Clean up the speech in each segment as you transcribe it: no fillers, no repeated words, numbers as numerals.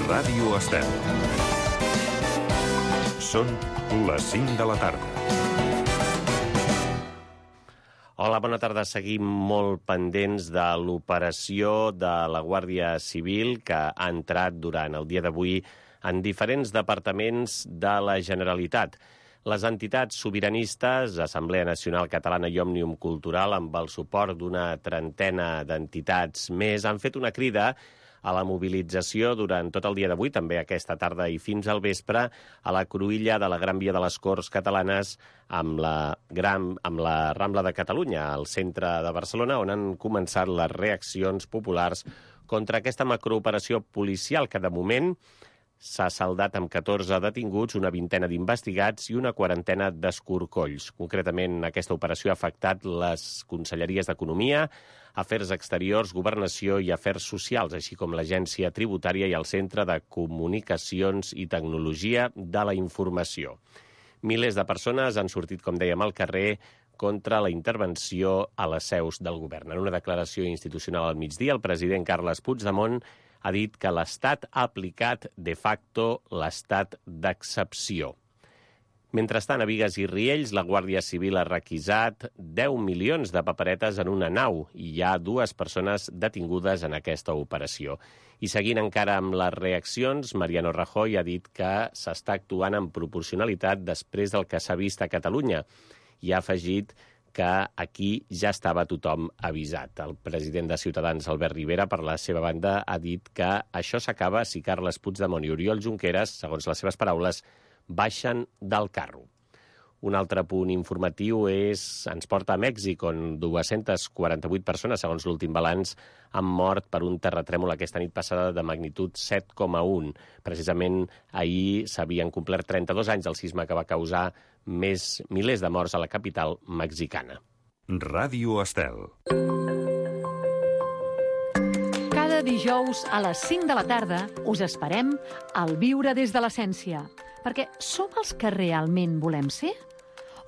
Ràdio Estel. Són les 5 de la tarda. Hola, bona tarda. Seguim molt pendents de l'operació de la Guàrdia Civil que ha entrat durant el dia d'avui en diferents departaments de la Generalitat. Les entitats sobiranistes, Assemblea Nacional Catalana i Òmnium Cultural, amb el suport d'una trentena d'entitats més, han fet una crida a la mobilització durant tot el dia d'avui, també aquesta tarda i fins al vespre, a la cruïlla de la Gran Via de les Corts Catalanes amb la Rambla de Catalunya, al centre de Barcelona, on han començat les reaccions populars contra aquesta macrooperació policial que, de moment, s'ha saldat amb 14 detinguts, una vintena d'investigats i una quarantena d'escorcolls. Concretament, aquesta operació ha afectat les conselleries d'Economia, Afers Exteriors, Governació i Afers Socials, així com l'Agència Tributària i el Centre de Comunicacions i Tecnologia de la Informació. Milers de persones han sortit, com dèiem, al carrer contra la intervenció a les seus del govern. En una declaració institucional al migdia, el president Carles Puigdemont ha dit que l'Estat ha aplicat de facto l'estat d'excepció. Mentrestant, a Bigues i Riells, la Guàrdia Civil ha requisat 10 milions de paperetes en una nau i hi ha 2 persones detingudes en aquesta operació. I seguint encara amb les reaccions, Mariano Rajoy ha dit que s'està actuant en proporcionalitat després del que s'ha vist a Catalunya i ha afegit que aquí ja estava tothom avisat. El president de Ciutadans, Albert Rivera, per la seva banda, ha dit que això s'acaba si Carles Puigdemont i Oriol Junqueras, segons les seves paraules, baixen del carro. Un altre punt informatiu ens porta a Mèxic, on 248 persones, segons l'últim balanç, han mort per un terratrèmol aquesta nit passada de magnitud 7,1. Precisament ahir s'havien complert 32 anys del sisme que va causar milers de morts a la capital mexicana. Ràdio Estel. Cada dijous a les 5 de la tarda us esperem al Viure des de l'Essència, perquè som els que realment volem ser?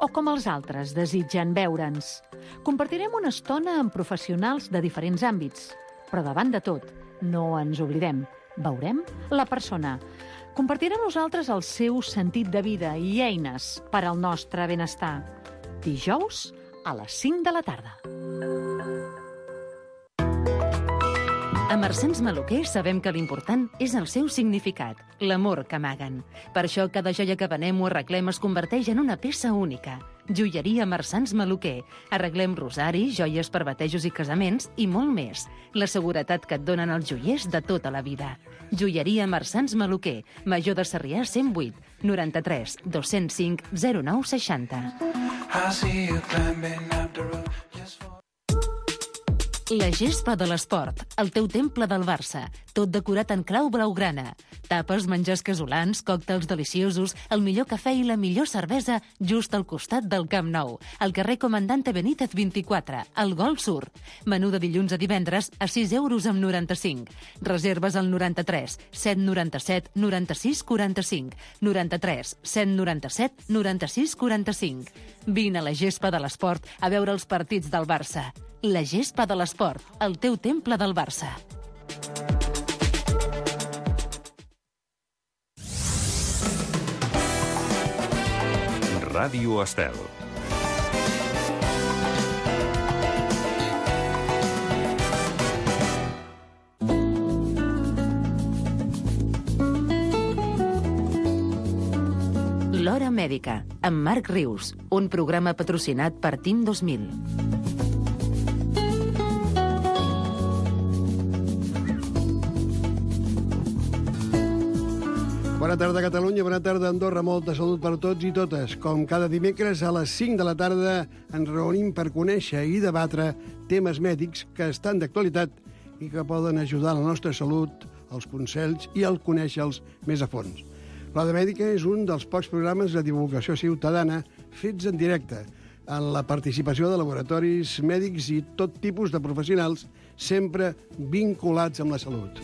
O com els altres desitgen veure'ns? Compartirem una estona amb professionals de diferents àmbits, però davant de tot, no ens oblidem, veurem la persona. Compartirà amb nosaltres el seu sentit de vida i eines per al nostre benestar. Dijous a les 5 de la tarda. A Marsans Maluquer sabem que l'important és el seu significat, l'amor que amaguen. Per això cada joia que venem o arreglem es converteix en una peça única. Joieria Marsans Maluquer. Arreglem rosaris, joies per batejos i casaments i molt més. La seguretat que et donen els joiers de tota la vida. Joieria Marsans Maluquer. Major de Sarrià 108 93 205 09 60. La gespa de l'esport, el teu temple del Barça, tot decorat en clau blaugrana. Tapes, menjars casolans, còctels deliciosos, el millor cafè i la millor cervesa just al costat del Camp Nou, al carrer Comandante Benítez 24, al Gol Sur. Menú de dilluns a divendres a 6 euros amb 95. Reserves al 93 797 96 45, 93 797 96 45. Vine a la gespa de l'esport a veure els partits del Barça. La gespa de l'esport, el teu temple del Barça. Ràdio Estel. L'Hora Mèdica, amb Marc Rius, un programa patrocinat per TIM 2000. Bona tarda, Catalunya, bona tarda, Andorra. Molta salut per tots i totes. Com cada dimecres a les 5 de la tarda ens reunim per conèixer i debatre temes mèdics que estan d'actualitat i que poden ajudar a la nostra salut, els consells i el conèixer-los més a fons. L'Hora Mèdica és un dels pocs programes de divulgació ciutadana fets en directe, en la participació de laboratoris mèdics i tot tipus de professionals, sempre vinculats amb la salut.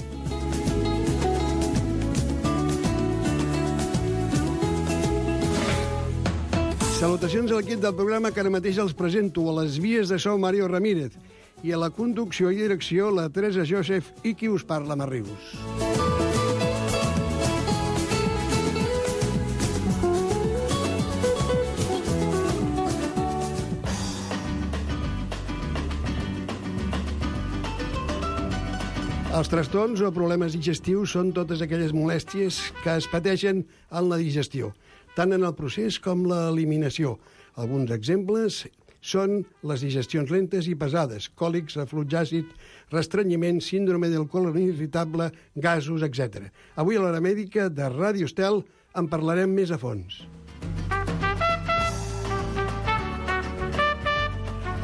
Salutacions a l'equip del programa que ara mateix els presento. A les vies de so, Mario Ramírez. I a la conducció i direcció, la Teresa Joseph i qui us parla, Marrius. Els trastorns o problemes digestius són totes aquelles molèsties que es pateixen en la digestió, tant en el procés com l'eliminació. Alguns exemples són les digestions lentes i pesades, còlics, reflux àcid, restrenyiment, síndrome del colon irritable, gasos, etc. Avui a l'Hora Mèdica de Ràdio Estel en parlarem més a fons.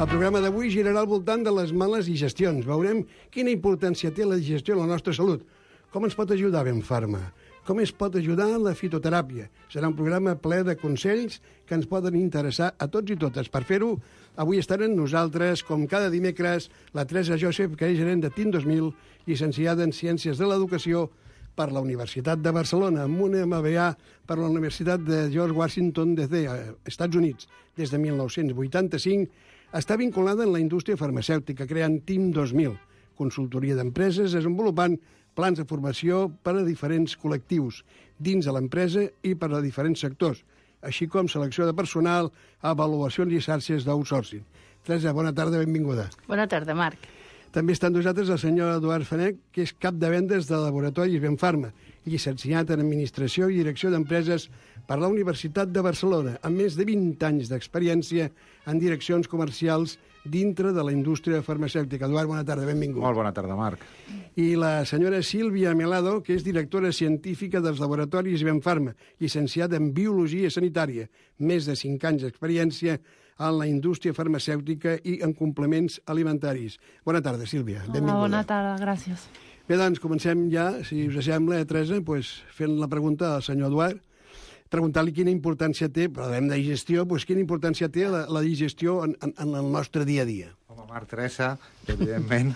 El programa d'avui girarà al voltant de les males digestions. Veurem quina importància té la digestió en la nostra salut. Com ens pot ajudar Ben Pharma? Com es pot ajudar la fitoteràpia? Serà un programa ple de consells que ens poden interessar a tots i totes. Per fer-ho, avui estaran nosaltres, com cada dimecres, la Teresa Josep, que és gerent de TIN 2000, llicenciada en Ciències de l'Educació per la Universitat de Barcelona, amb una MBA per la Universitat de George Washington DC, Estats Units, des de 1985, està vinculada en la indústria farmacèutica, creant TIN 2000, consultoria d'empreses, desenvolupant plans de formació per a diferents col·lectius dins de l'empresa i per a diferents sectors, així com selecció de personal, avaluacions i xarxes d'outsourcing. Teresa, bona tarda, benvinguda. Bona tarda, Marc. També està amb nosaltres el senyor Eduard Fanech, que és cap de vendes de laboratoris Ben Pharma, llicenciat en Administració i Direcció d'Empreses per la Universitat de Barcelona, amb més de 20 anys d'experiència en direccions comercials dintre de la indústria farmacèutica. Eduard, bona tarda, benvingut. Molt bona tarda, Marc. I la senyora Sílvia Melado, que és directora científica dels laboratoris Ben Pharma, llicenciada en Biologia Sanitària, més de 5 anys d'experiència en la indústria farmacèutica i en complements alimentaris. Bona tarda, Sílvia. Benvinguda. Bona tarda, gràcies. Bé, doncs, comencem ja, si us sembla, Teresa, fent la pregunta al senyor Eduard, preguntar-li quina importància té, parlem de digestió, quina importància té la digestió en el nostre dia a dia. Home, Marc, Teresa, evidentment,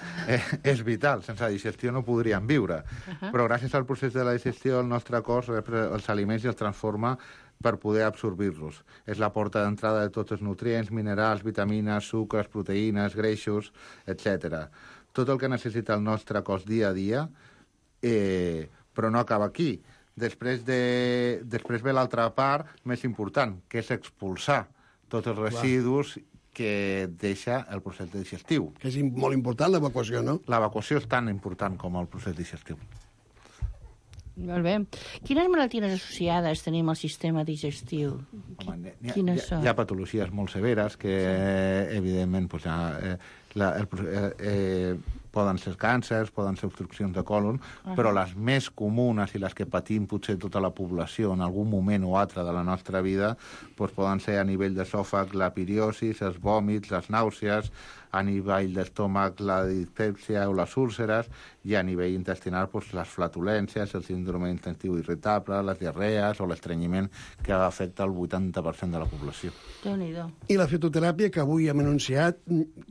és vital. Sense digestió no podríem viure. Però gràcies al procés de la digestió, el nostre cos rep els aliments i els transforma per poder absorbir-los. És la porta d'entrada de tots els nutrients, minerals, vitamines, sucres, proteïnes, greixos, etc. Tot el que necessita el nostre cos dia a dia, però no acaba aquí. Després ve l'altra part més important, que és expulsar tots els residus que deixa el procés digestiu. Que és molt important l'evacuació, no? L'evacuació és tan important com el procés digestiu. Molt bé. Quines malalties associades tenim al sistema digestiu? Home, Quines són? Hi ha patologies molt severes que, evidentment, poden ser càncers, poden ser obstruccions de còlon, però les més comunes i les que patim potser tota la població en algun moment o altre de la nostra vida poden ser a nivell d'esòfag la piriosis, els vòmits, les nàusees, a nivell d'estómac la dispèpsia o les úlceres, i a nivell intestinal les flatulències, el síndrome intestiu irritable, les diarrees o l'estrenyiment que afecta el 80% de la població. Déu-n'hi-do. I la fitoteràpia que avui hem anunciat,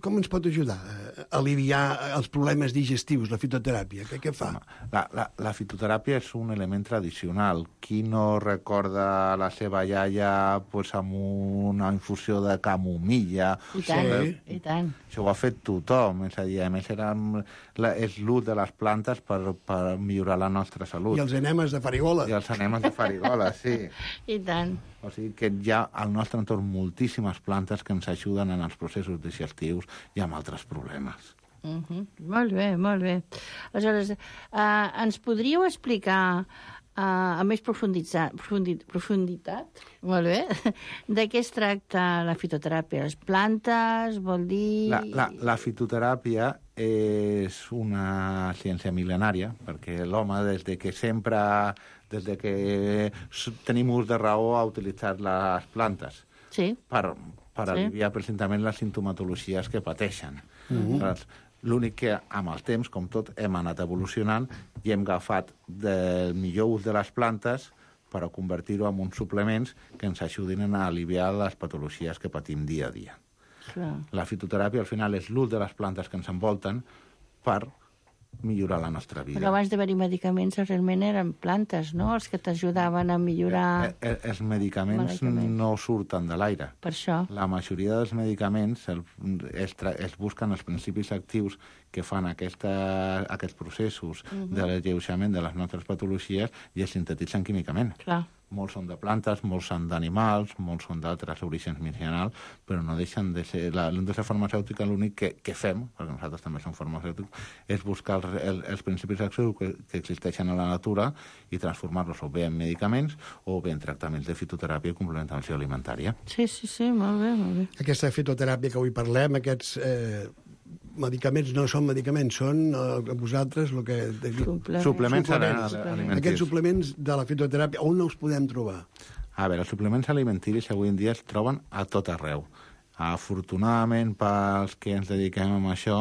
com ens pot ajudar a aliviar els problemes digestius, la fitoteràpia? Què fa? La fitoteràpia és un element tradicional. Qui no recorda la seva iaia amb una infusió de camomilla? I tant, i tant. Això ho ha fet tothom, és a dir, a més és l'ús de les plantes per millorar la nostra salut. I els enemes de farigola. I els enemes de farigola, sí. I tant. O sigui que hi ha al nostre entorn moltíssimes plantes que ens ajuden en els processos digestius i amb altres problemes. Molt bé, molt bé. Aleshores, ens podríeu explicar amb més profunditat, molt bé, de què es tracta la fitoteràpia? Les plantes, vol dir... La fitoteràpia és una ciència mil·lenària, perquè l'home, des que tenim ús de raó, ha utilitzat les plantes per aliviar precisament les sintomatologies que pateixen. L'únic que, amb el temps, com tot, hem anat evolucionant i hem agafat el millor ús de les plantes per a convertir-ho en uns suplements que ens ajudin a aliviar les patologies que patim dia a dia. La fitoteràpia, al final, és l'ús de les plantes que ens envolten per millorar la nostra vida. Però abans d'haver-hi medicaments, realment eren plantes, no?, els que t'ajudaven a millorar... Els medicaments no surten de l'aire. Per això. La majoria dels medicaments es busquen els principis actius que fan aquests processos de l'alleuixament de les nostres patologies i es sintetitzen químicament. Clar. Molts són de plantes, molts són d'animals, molts són d'altres orígens medicinals, però no deixen de ser... La indústria farmacèutica l'únic que fem, perquè nosaltres també som farmacèutics, és buscar els principis actius que existeixen a la natura i transformar-los o bé en medicaments o bé en tractaments de fitoteràpia i complementació alimentària. Sí, molt bé, molt bé. Aquesta fitoteràpia que avui parlem, aquests medicaments no són medicaments, són vosaltres el que... Suplements alimenticis. Aquests suplements de la fitoteràpia, on els podem trobar? A veure, els suplements alimenticis avui en dia es troben a tot arreu. Afortunadament, pels que ens dediquem a això,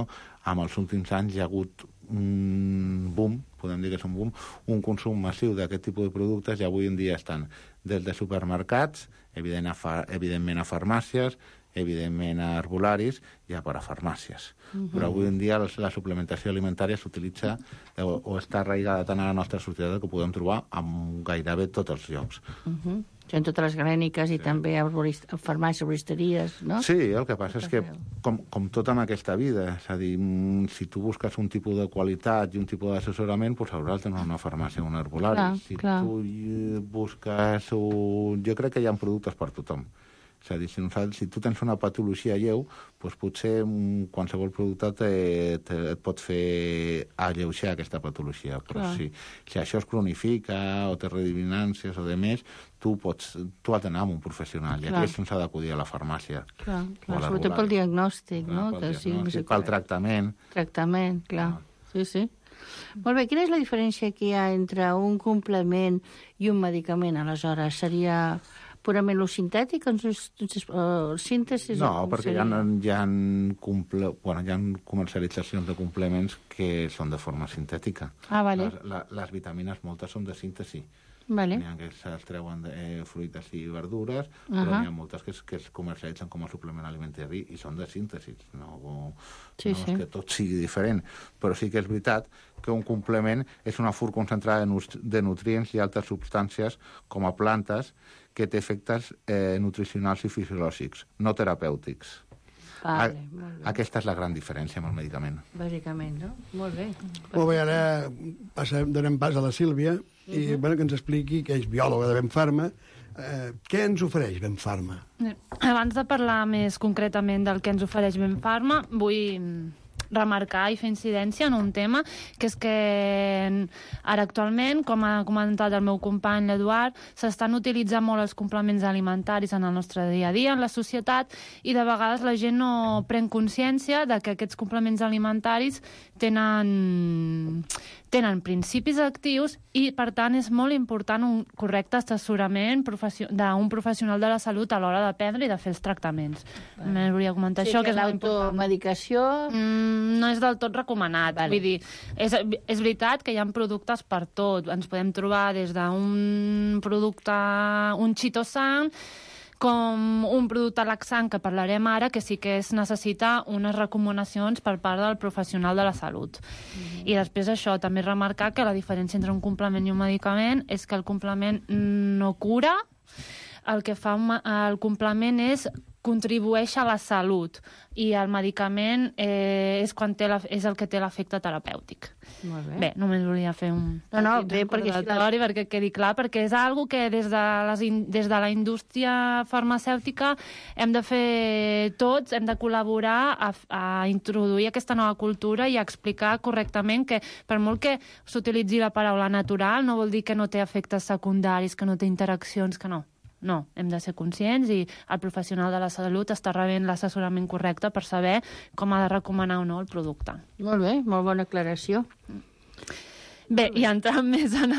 en els últims anys hi ha hagut un boom, podem dir que és un boom, un consum massiu d'aquest tipus de productes i avui en dia estan des de supermercats, evidentment a farmàcies, evidentment a herbolaris i a parafarmàcies. Però avui en dia la suplementació alimentària s'utilitza o està arraigada tant a la nostra societat que ho podem trobar en gairebé tots els llocs. En totes les clíniques i també a farmàcies, herboristeries, no? Sí, el que passa és que, com tot en aquesta vida, és a dir, si tu busques un tipus de qualitat i un tipus d'assessorament, doncs hauràs d'anar a una farmàcia o un herbolari. Si tu busques... Jo crec que hi ha productes per tothom. És a dir, si tu tens una patologia lleu, doncs potser qualsevol producte et pot fer alleujar aquesta patologia. Però si això es cronifica o té redundàncies o de més, tu has d'anar amb un professional. I aquí se'ns ha d'acudir a la farmàcia. Clar, sobretot pel diagnòstic, no? Pel tractament. Tractament, clar. Sí. Molt bé, quina és la diferència que hi ha entre un complement i un medicament, aleshores? Seria purament lo sintètic, síntesi? No, perquè hi ha comercialitzacions de complements que són de forma sintètica. Vale. Les vitamines moltes són de síntesi. Vale. N'hi ha que es treuen de fruites i verdures, però n'hi ha moltes que es comercialitzen com a suplement alimentari i són de síntesi. No és que tot sigui diferent, però sí que és veritat que un complement és una fur concentrada de nutrients i altres substàncies com a plantes que té efectes nutricionals i fisiològics, no terapèutics. Aquesta és la gran diferència amb el medicament. Bàsicament, no? Molt bé. Molt bé, ara donem pas a la Sílvia i que ens expliqui, que és biòloga de Benfarma, què ens ofereix Benfarma? Abans de parlar més concretament del que ens ofereix Benfarma, vull remarcar i fer incidència en un tema, que és que ara actualment, com ha comentat el meu company l'Eduard, s'estan utilitzant molt els complements alimentaris en el nostre dia a dia, en la societat, i de vegades la gent no pren consciència de que aquests complements alimentaris tenen principis actius i, per tant, és molt important un correcte assessorament d'un professional de la salut a l'hora de prendre i de fer els tractaments. Només volia comentar això, que és molt important. L'automedicació... No és del tot recomanat. Vull dir, és veritat que hi ha productes per tot. Ens podem trobar des d'un producte, un chitosan, com un producte laxant, que parlarem ara, que sí que es necessita unes recomanacions per part del professional de la salut. I després això, també remarcar que la diferència entre un complement i un medicament és que el complement no cura, el que fa el complement és contribueix a la salut i el medicament és el que té l'efecte terapèutic. Molt bé. Bé, només volia fer un recordatori perquè quedi clar, perquè és algo que des de la indústria farmacèutica hem de fer tots, hem de col·laborar a introduir aquesta nova cultura i a explicar correctament que per molt que s'utilitzi la paraula natural no vol dir que no té efectes secundaris, que no té interaccions, que no. No, hem de ser conscients i el professional de la salut està rebent l'assessorament correcte per saber com ha de recomanar o no el producte. Molt bé, molt bona aclaració. Bé, i entrant més en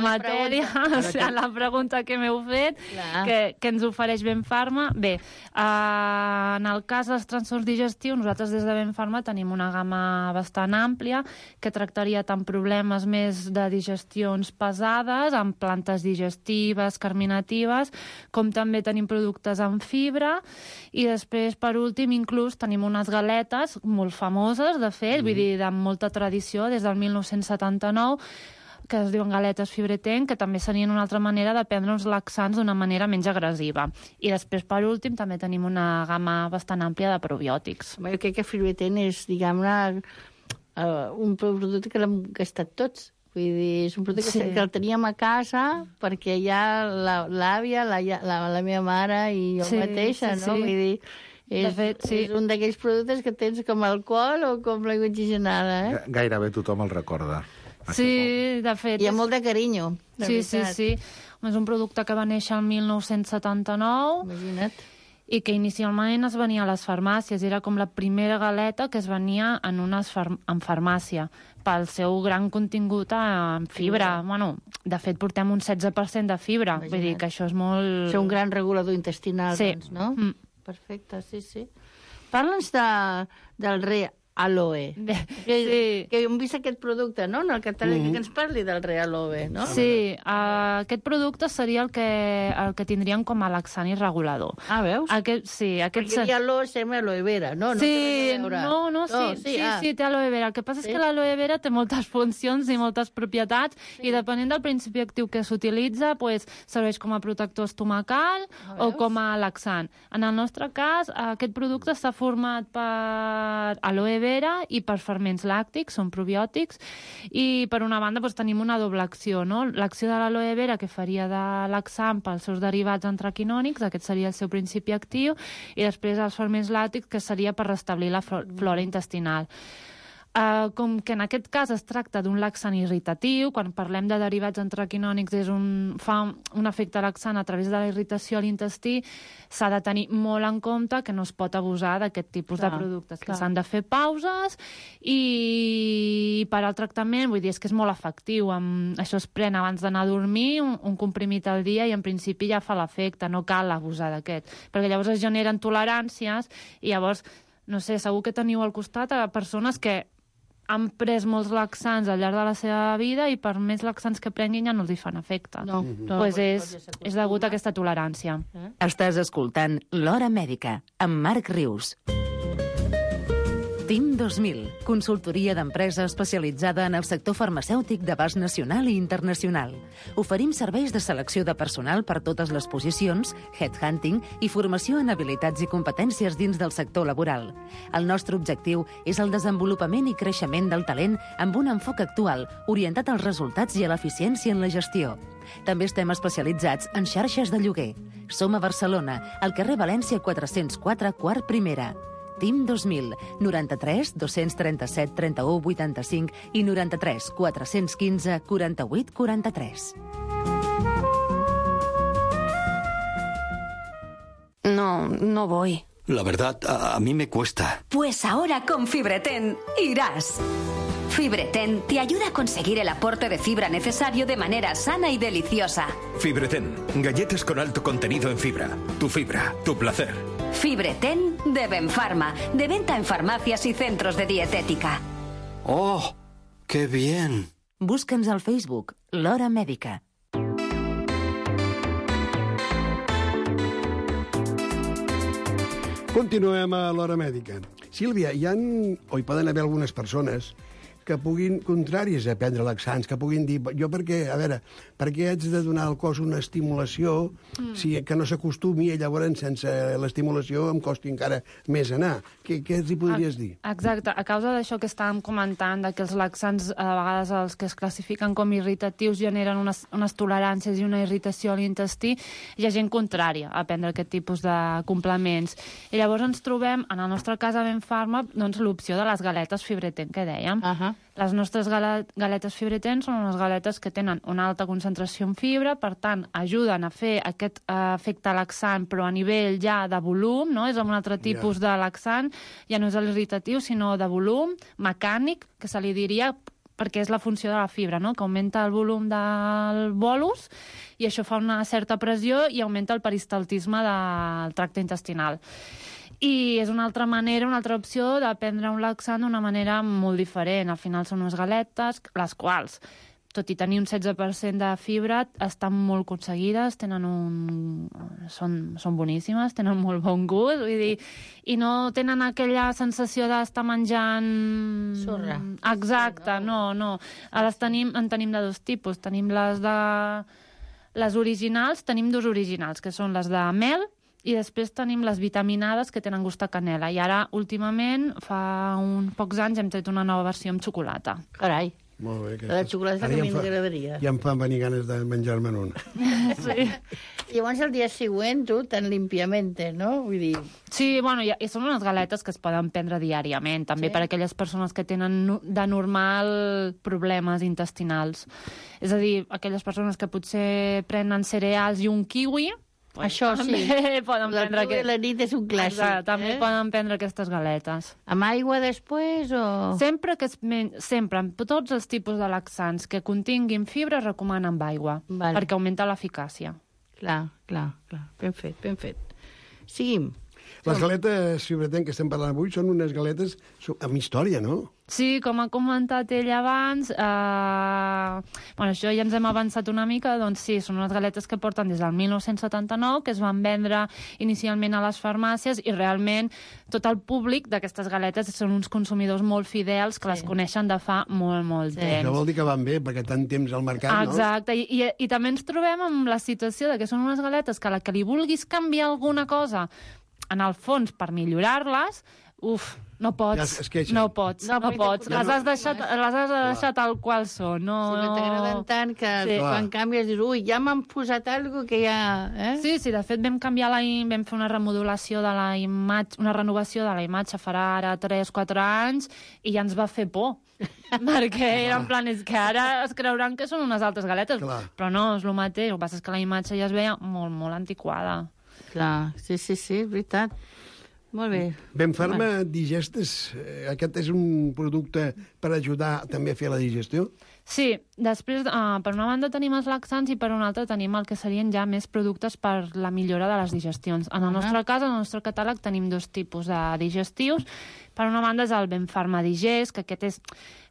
matèria, en la pregunta que m'heu fet, que ens ofereix Benfarma. Bé, en el cas dels trastorns digestius, nosaltres des de Benfarma tenim una gamma bastant àmplia que tractaria tant problemes més de digestions pesades, amb plantes digestives, carminatives, com també tenim productes amb fibra, i després, per últim, inclús tenim unes galetes molt famoses, de fet, vull dir, de molta tradició, des del 1979, que es diuen galetes Fibretent, que també serien una altra manera de prendre uns laxants d'una manera menys agressiva. I després, per últim, també tenim una gamma bastant àmplia de probiòtics. Jo crec que Fibretent és, diguem-ne, un producte que l'hem gastat tots Vull dir, és un producte que el teníem a casa perquè ja l'àvia, la meva mare i jo mateixa, no? Vull dir, és un d'aquells productes que tens com alcohol o com l'aigua oxigenada, Gairebé tothom el recorda. Sí, de fet. Hi ha molt de carinyo, Sí. És un producte que va néixer el 1979. Imagina't. I que inicialment es venia a les farmàcies. Era com la primera galeta que es venia en farmàcia pel seu gran contingut en fibra. Bueno, de fet, portem un 16% de fibra. Vull dir que això és molt... És un gran regulador intestinal, doncs, no? Perfecte, sí. Parla'ns del Realoe. Que hem vist aquest producte, no? En el català, que ens parli del Realoe, no? Sí, aquest producte seria el que tindríem com a laxant i regulador. Ah, veus? Perquè aloe sembla aloe vera, no? Sí, sí, té aloe vera. El que passa és que l'aloe vera té moltes funcions i moltes propietats i depenent del principi actiu que s'utilitza, serveix com a protector estomacal o com a laxant. En el nostre cas, aquest producte està format per aloe vera i per ferments làctics, són probiòtics, i per una banda tenim una doble acció, no? L'acció de l'aloe vera que faria de laxant pels seus derivats antraquinònics, aquest seria el seu principi actiu, i després els ferments làctics, que seria per restablir la flora intestinal. Com que en aquest cas es tracta d'un laxant irritatiu, quan parlem de derivats antraquinònics fa un efecte laxant a través de la irritació a l'intestí, s'ha de tenir molt en compte que no es pot abusar d'aquest tipus de productes, que s'han de fer pauses i per al tractament, vull dir, és que és molt efectiu. Això es pren abans d'anar a dormir, un comprimit al dia, i en principi ja fa l'efecte, no cal abusar d'aquest, perquè llavors es generen toleràncies i llavors, no sé, segur que teniu al costat a persones que han pres molts laxants al llarg de la seva vida i per més laxants que prenguin ja no els hi fan efecte. És degut a aquesta tolerància. Estàs escoltant L'Hora Mèdica, amb Marc Rius. TIM 2000, consultoria d'empresa especialitzada en el sector farmacèutic d'abast nacional i internacional. Oferim serveis de selecció de personal per totes les posicions, headhunting i formació en habilitats i competències dins del sector laboral. El nostre objectiu és el desenvolupament i creixement del talent amb un enfoc actual, orientat als resultats i a l'eficiència en la gestió. També estem especialitzats en xarxes de lloguer. Som a Barcelona, al carrer València 404, quart primera. TIM 2000, 93 237 31 85 i 93 415 48 43. No voy. La verdad, a mí me cuesta. Pues ahora con Fibreten irás. Fibreten te ayuda a conseguir el aporte de fibra necesario de manera sana y deliciosa. Fibreten, galletas con alto contenido en fibra. Tu fibra, tu placer. Fibreten de Benfarma, de venta en farmacias y centros de dietética. ¡Oh, qué bien! Busca'ns al Facebook, L'Hora Mèdica. Continuem a l'Hora Mèdica. Sílvia, hi poden haver algunes persones que puguin, contràries a prendre laxants, que puguin dir, jo per què haig de donar al cos una estimulació que no s'acostumi i llavors sense l'estimulació em costi encara més anar? Què els hi podries dir? Exacte, a causa d'això que estàvem comentant, que els laxants, a vegades els que es classifiquen com irritatius, generen unes toleràncies i una irritació a l'intestí, hi ha gent contrària a prendre aquest tipus de complements. I llavors ens trobem, en el nostre cas a Benfarma, l'opció de les galetes Fibreten, que dèiem. Les nostres galetes Fibreten són unes galetes que tenen una alta concentració en fibra, per tant, ajuden a fer aquest efecte laxant, però a nivell ja de volum, no? És un altre tipus de laxant, ja no és l'irritatiu, sinó de volum, mecànic, que se li diria, perquè és la funció de la fibra, no? Que augmenta el volum del bolus i això fa una certa pressió i augmenta el peristaltisme del tracte intestinal. I és una altra manera, una altra opció de prendre un laxant d'una manera molt diferent. Al final són unes galetes, les quals, tot i tenir un 16% de fibra, estan molt aconseguides, són boníssimes, tenen molt bon gust, vull dir, i no tenen aquella sensació d'estar menjant... Sorra. Exacte, no. En tenim de dos tipus. Tenim les originals, tenim dos originals, que són les de mel, i després tenim les vitaminades que tenen gust a canela. I ara, últimament, fa uns pocs anys, hem tret una nova versió amb xocolata. Carai. Molt bé. La xocolata també m'agradaria. Ja em fan venir ganes de menjar-me'n una. Sí. Llavors, el dia següent, tu, tan limpiamente, no? Vull dir... Sí, bueno, i són unes galetes que es poden prendre diàriament, també per aquelles persones que tenen de normal problemes intestinals. És a dir, aquelles persones que potser prenen cereals i un kiwi, això sí. També poden prendre... La nit és un clàssic. Exacte, també poden prendre aquestes galetes. Amb aigua després o...? Sempre, amb tots els tipus de laxants que continguin fibra es recomana amb aigua, perquè augmenta l'eficàcia. Clar. Ben fet. Seguim. Les galetes Fibretent que estem parlant avui són unes galetes amb història, no? Sí, com ha comentat ell abans, això ja ens hem avançat una mica, doncs sí, són unes galetes que porten des del 1979, que es van vendre inicialment a les farmàcies i realment tot el públic d'aquestes galetes són uns consumidors molt fidels que les coneixen de fa molt temps. Això vol dir que van bé, perquè tant temps al mercat, no? Exacte, i també ens trobem amb la situació de que són unes galetes que a la que li vulguis canviar alguna cosa, en el fons, per millorar-les, no pots. No pots. Les has deixat tal qual són. Sí, però t'agraden tant que quan canvies dius, ja m'han posat alguna cosa que ja... Sí, de fet vam canviar vam fer una remodelació de la imatge, una renovació de la imatge farà ara 3-4 anys i ja ens va fer por. Perquè era en plan, és que ara es creuran que són unes altres galetes. Però no, és el mateix. El que passa és que la imatge ja es veia molt antiquada. Clar, sí, és veritat. Molt bé. Benfarma Digestes, aquest és un producte per ajudar també a fer la digestió? Sí, després, per una banda tenim els laxants i per una altra tenim el que serien ja més productes per la millora de les digestions. En el nostre cas, en el nostre catàleg, tenim 2 tipus de digestius. Per una banda és el Benfarma Digest, que aquest és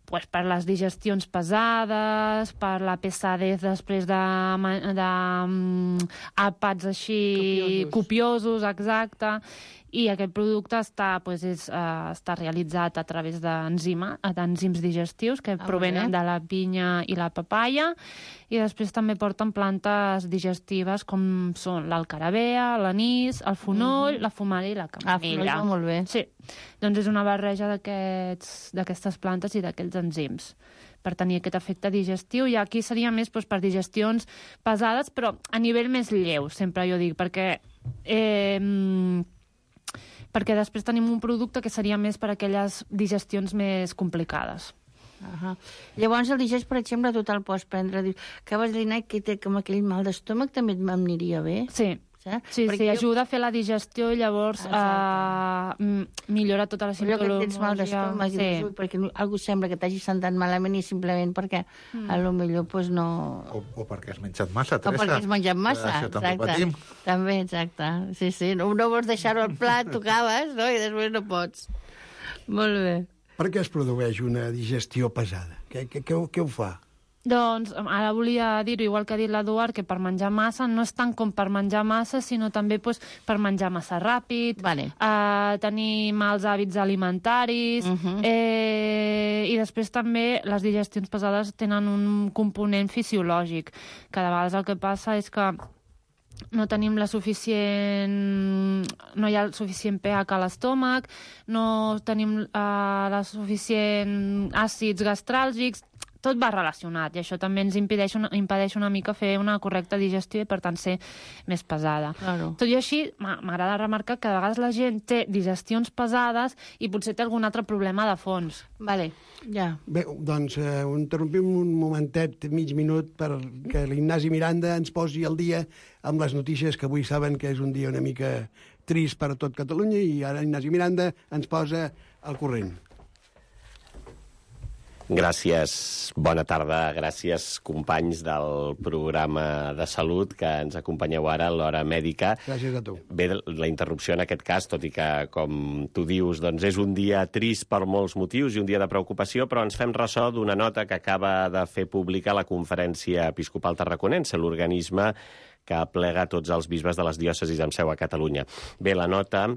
per les digestions pesades, per la pesadez després d'àpats així copiosos, exacte. I aquest producte està realitzat a través d'enzims digestius que provenen de la pinya i la papaya, i després també porten plantes digestives com són l'alcarabea, l'anís, el fonoll, la fumara i la camamilla. Molt bé. Sí, doncs és una barreja d'aquestes plantes i d'aquests enzims per tenir aquest efecte digestiu, i aquí seria més per digestions pesades, però a nivell més lleu, sempre jo dic, perquè després tenim un producte que seria més per a aquelles digestions més complicades. Llavors el digest, per exemple, tu te'l pots prendre. Acabes de dir que té com aquell mal d'estómac, també m'aniria bé. Sí, ajuda a fer la digestió i llavors millora tota la Allò simptomologia. que tens mal d'estómac, perquè algú sembla que t'hagi sentat malament i simplement perquè potser no... O perquè has menjat massa, Teresa. O perquè has menjat massa, això també patim. També, exacte. Sí, no vols deixar-ho al plat, tu acabes, no? I després no pots. Molt bé. Per què es produeix una digestió pesada? Què ho fa? Doncs ara volia dir-ho, igual que ha dit l'Eduard, que per menjar massa no és tant com per menjar massa, sinó també per menjar massa ràpid, tenir mals hàbits alimentaris, i després també les digestions pesades tenen un component fisiològic, que de vegades el que passa és que no tenim no hi ha el suficient pH a l'estómac, no tenim la suficient àcids gastràlgics, tot va relacionat, i això també ens impedeix una mica fer una correcta digestió i, per tant, ser més pesada. Tot i així, m'agrada remarcar que a vegades la gent té digestions pesades i potser té algun altre problema de fons. Bé, doncs interrompim un momentet, mig minut, perquè l'Ignasi Miranda ens posi al dia amb les notícies, que avui saben que és un dia una mica trist per a tot Catalunya, i ara Ignasi Miranda ens posa al corrent. Gràcies, bona tarda, gràcies companys del programa de salut que ens acompanyeu ara a l'Hora Mèdica. Gràcies a tu. Bé, la interrupció en aquest cas, tot i que, com tu dius, doncs és un dia trist per molts motius i un dia de preocupació, però ens fem ressò d'una nota que acaba de fer pública la Conferència Episcopal Tarraconense, l'organisme que aplega tots els bisbes de les diòcesis amb seu a Catalunya. Bé, la nota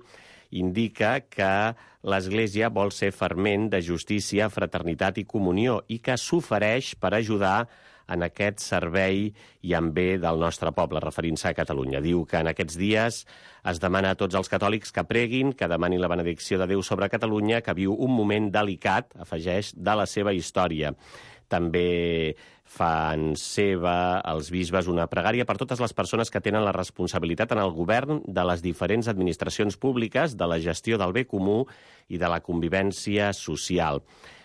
indica que l'Església vol ser ferment de justícia, fraternitat i comunió i que s'ofereix per ajudar en aquest servei i en bé del nostre poble, referint-se a Catalunya. Diu que en aquests dies es demana a tots els catòlics que preguin, que demanin la benedicció de Déu sobre Catalunya, que viu un moment delicat, afegeix, de la seva història. També fan seva els bisbes una pregària per totes les persones que tenen la responsabilitat en el govern de les diferents administracions públiques, de la gestió del bé comú i de la convivència social.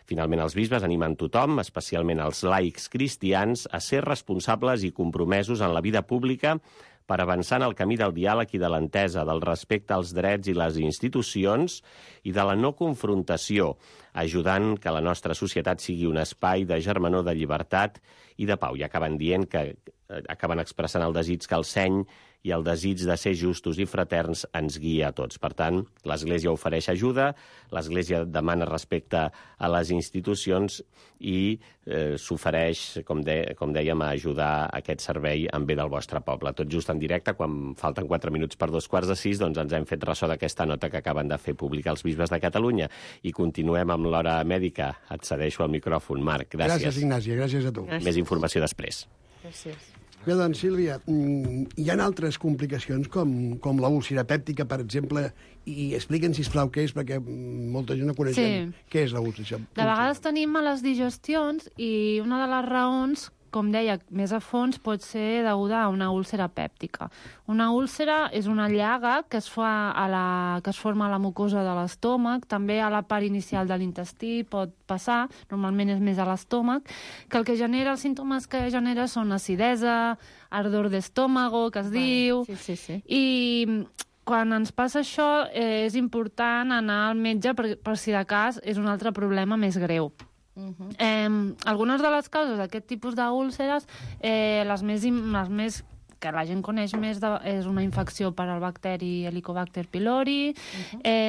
Finalment, els bisbes animen tothom, especialment els laics cristians, a ser responsables i compromesos en la vida pública per avançar en el camí del diàleg i de l'entesa, del respecte als drets i les institucions i de la no confrontació, ajudant que la nostra societat sigui un espai de germanor, de llibertat i de pau. I acaben expressant el desig que el seny i el desig de ser justos i fraterns ens guia a tots. Per tant, l'Església ofereix ajuda, l'Església demana respecte a les institucions i s'ofereix, com dèiem, a ajudar aquest servei en bé del vostre poble. Tot just en directe, quan falten 4 minuts per 2:45, doncs ens hem fet ressò d'aquesta nota que acaben de fer pública els bisbes de Catalunya. I continuem amb l'hora mèdica. Et cedeixo el micròfon, Marc. Gràcies. Gràcies, Ignasi. Gràcies a tu. Gràcies. Més informació després. Gràcies. Bé, doncs, Sílvia, hi ha altres complicacions, com la úlcera pèptica, per exemple, i expliquen, sisplau, què és, perquè molta gent no coneixem què és la úlcera. De vegades tenim males digestions i una de les raons, com deia, més a fons, pot ser deguda a una úlcera pèptica. Una úlcera és una llaga que es forma a la mucosa de l'estómac, també a la part inicial de l'intestí pot passar, normalment és més a l'estómac, que el que genera, els símptomes que genera són acidesa, ardor d'estómago, que es diu, i quan ens passa això és important anar al metge per si de cas és un altre problema més greu. Algunes de les causes d'aquest tipus d'úlceres, les més que la gent coneix més és una infecció per al bacteri Helicobacter pylori,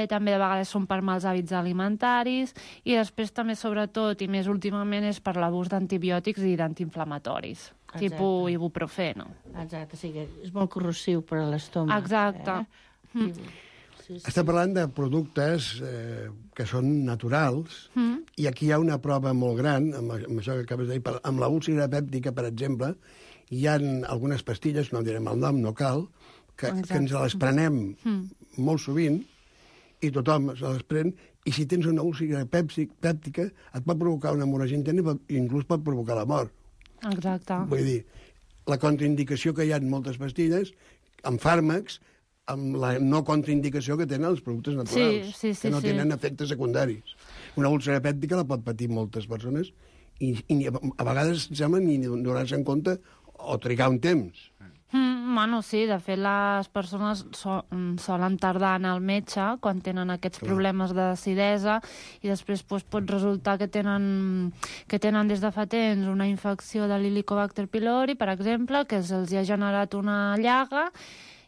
també de vegades són per mals hàbits alimentaris i després també, sobretot, i més últimament, és per l'abús d'antibiòtics i d'antiinflamatoris, tipus ibuprofeno. Exacte, sí que és molt corrosiu per a l'estómac. Exacte. Estem parlant de productes que són naturals i aquí hi ha una prova molt gran, amb això que acabes de dir, amb la úlcera pèptica, per exemple, hi ha algunes pastilles, no direm el nom, no cal, que ens les prenem molt sovint i tothom se les pren, i si tens una úlcera pèptica et pot provocar una hemorràgia interna i inclús pot provocar la mort. Exacte. Vull dir, la contraindicació que hi ha en moltes pastilles, amb fàrmacs, amb la no contraindicació que tenen els productes naturals, que no tenen efectes secundaris. Una úlcera pèptica la pot patir moltes persones i a vegades sembla ni donar-se en compte o trigar un temps. Bueno, sí, de fet les persones solen tardar en el metge quan tenen aquests problemes d'acidesa i després pot resultar que tenen des de fa temps una infecció de l'Helicobacter pylori, per exemple, que se'ls ha generat una llaga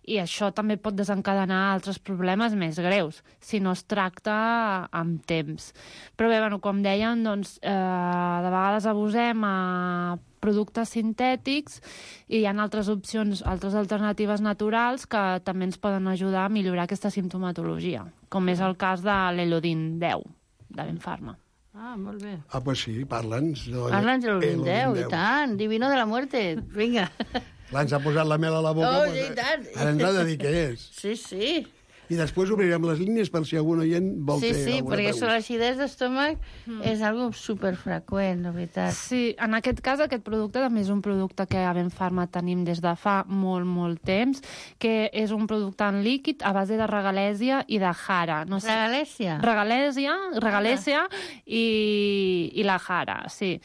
i això també pot desencadenar altres problemes més greus, si no es tracta amb temps. Però bé, com dèiem, doncs, de vegades abusem a productes sintètics i hi ha altres opcions, altres alternatives naturals que també ens poden ajudar a millorar aquesta simptomatologia, com és el cas de l'Elodin 10, de Benfarma. Ah, molt bé. Ah, pues sí, parla'ns. Parla'ns de l'Elodin 10, i tant, divino de la muerte, vinga. Clar, ens ha posat la mel a la boca, oh, i tant. Ara ens ha de dir què és. Sí, sí. I després obrirem les línies per si algun oient vol fer alguna pregunta. Sí, perquè sobre l'acidesa d'estómac és algo superfreqüent, la veritat. Sí, en aquest cas aquest producte també és un producte que a Benfarma tenim des de fa molt, molt temps, que és un producte en líquid a base de regalèsia i de jara. No sé. Regalèsia? Regalèsia i la jara, sí.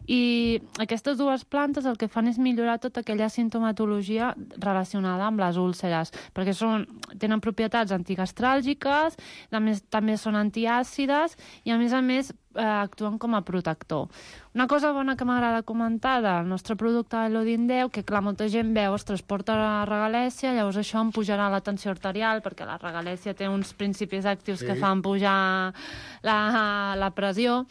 I aquestes dues plantes el que fan és millorar tota aquella sintomatologia relacionada amb les úlceres, perquè tenen propietats antigastràlgiques, també són antiàcides i, a més, actuen com a protector. Una cosa bona que m'agrada comentar del nostre producte Elodin 10, que clar, molta gent veu, ostres, porta la regalèsia, llavors això em pujarà la tensió arterial, perquè la regalèsia té uns principis actius que fan pujar la pressió,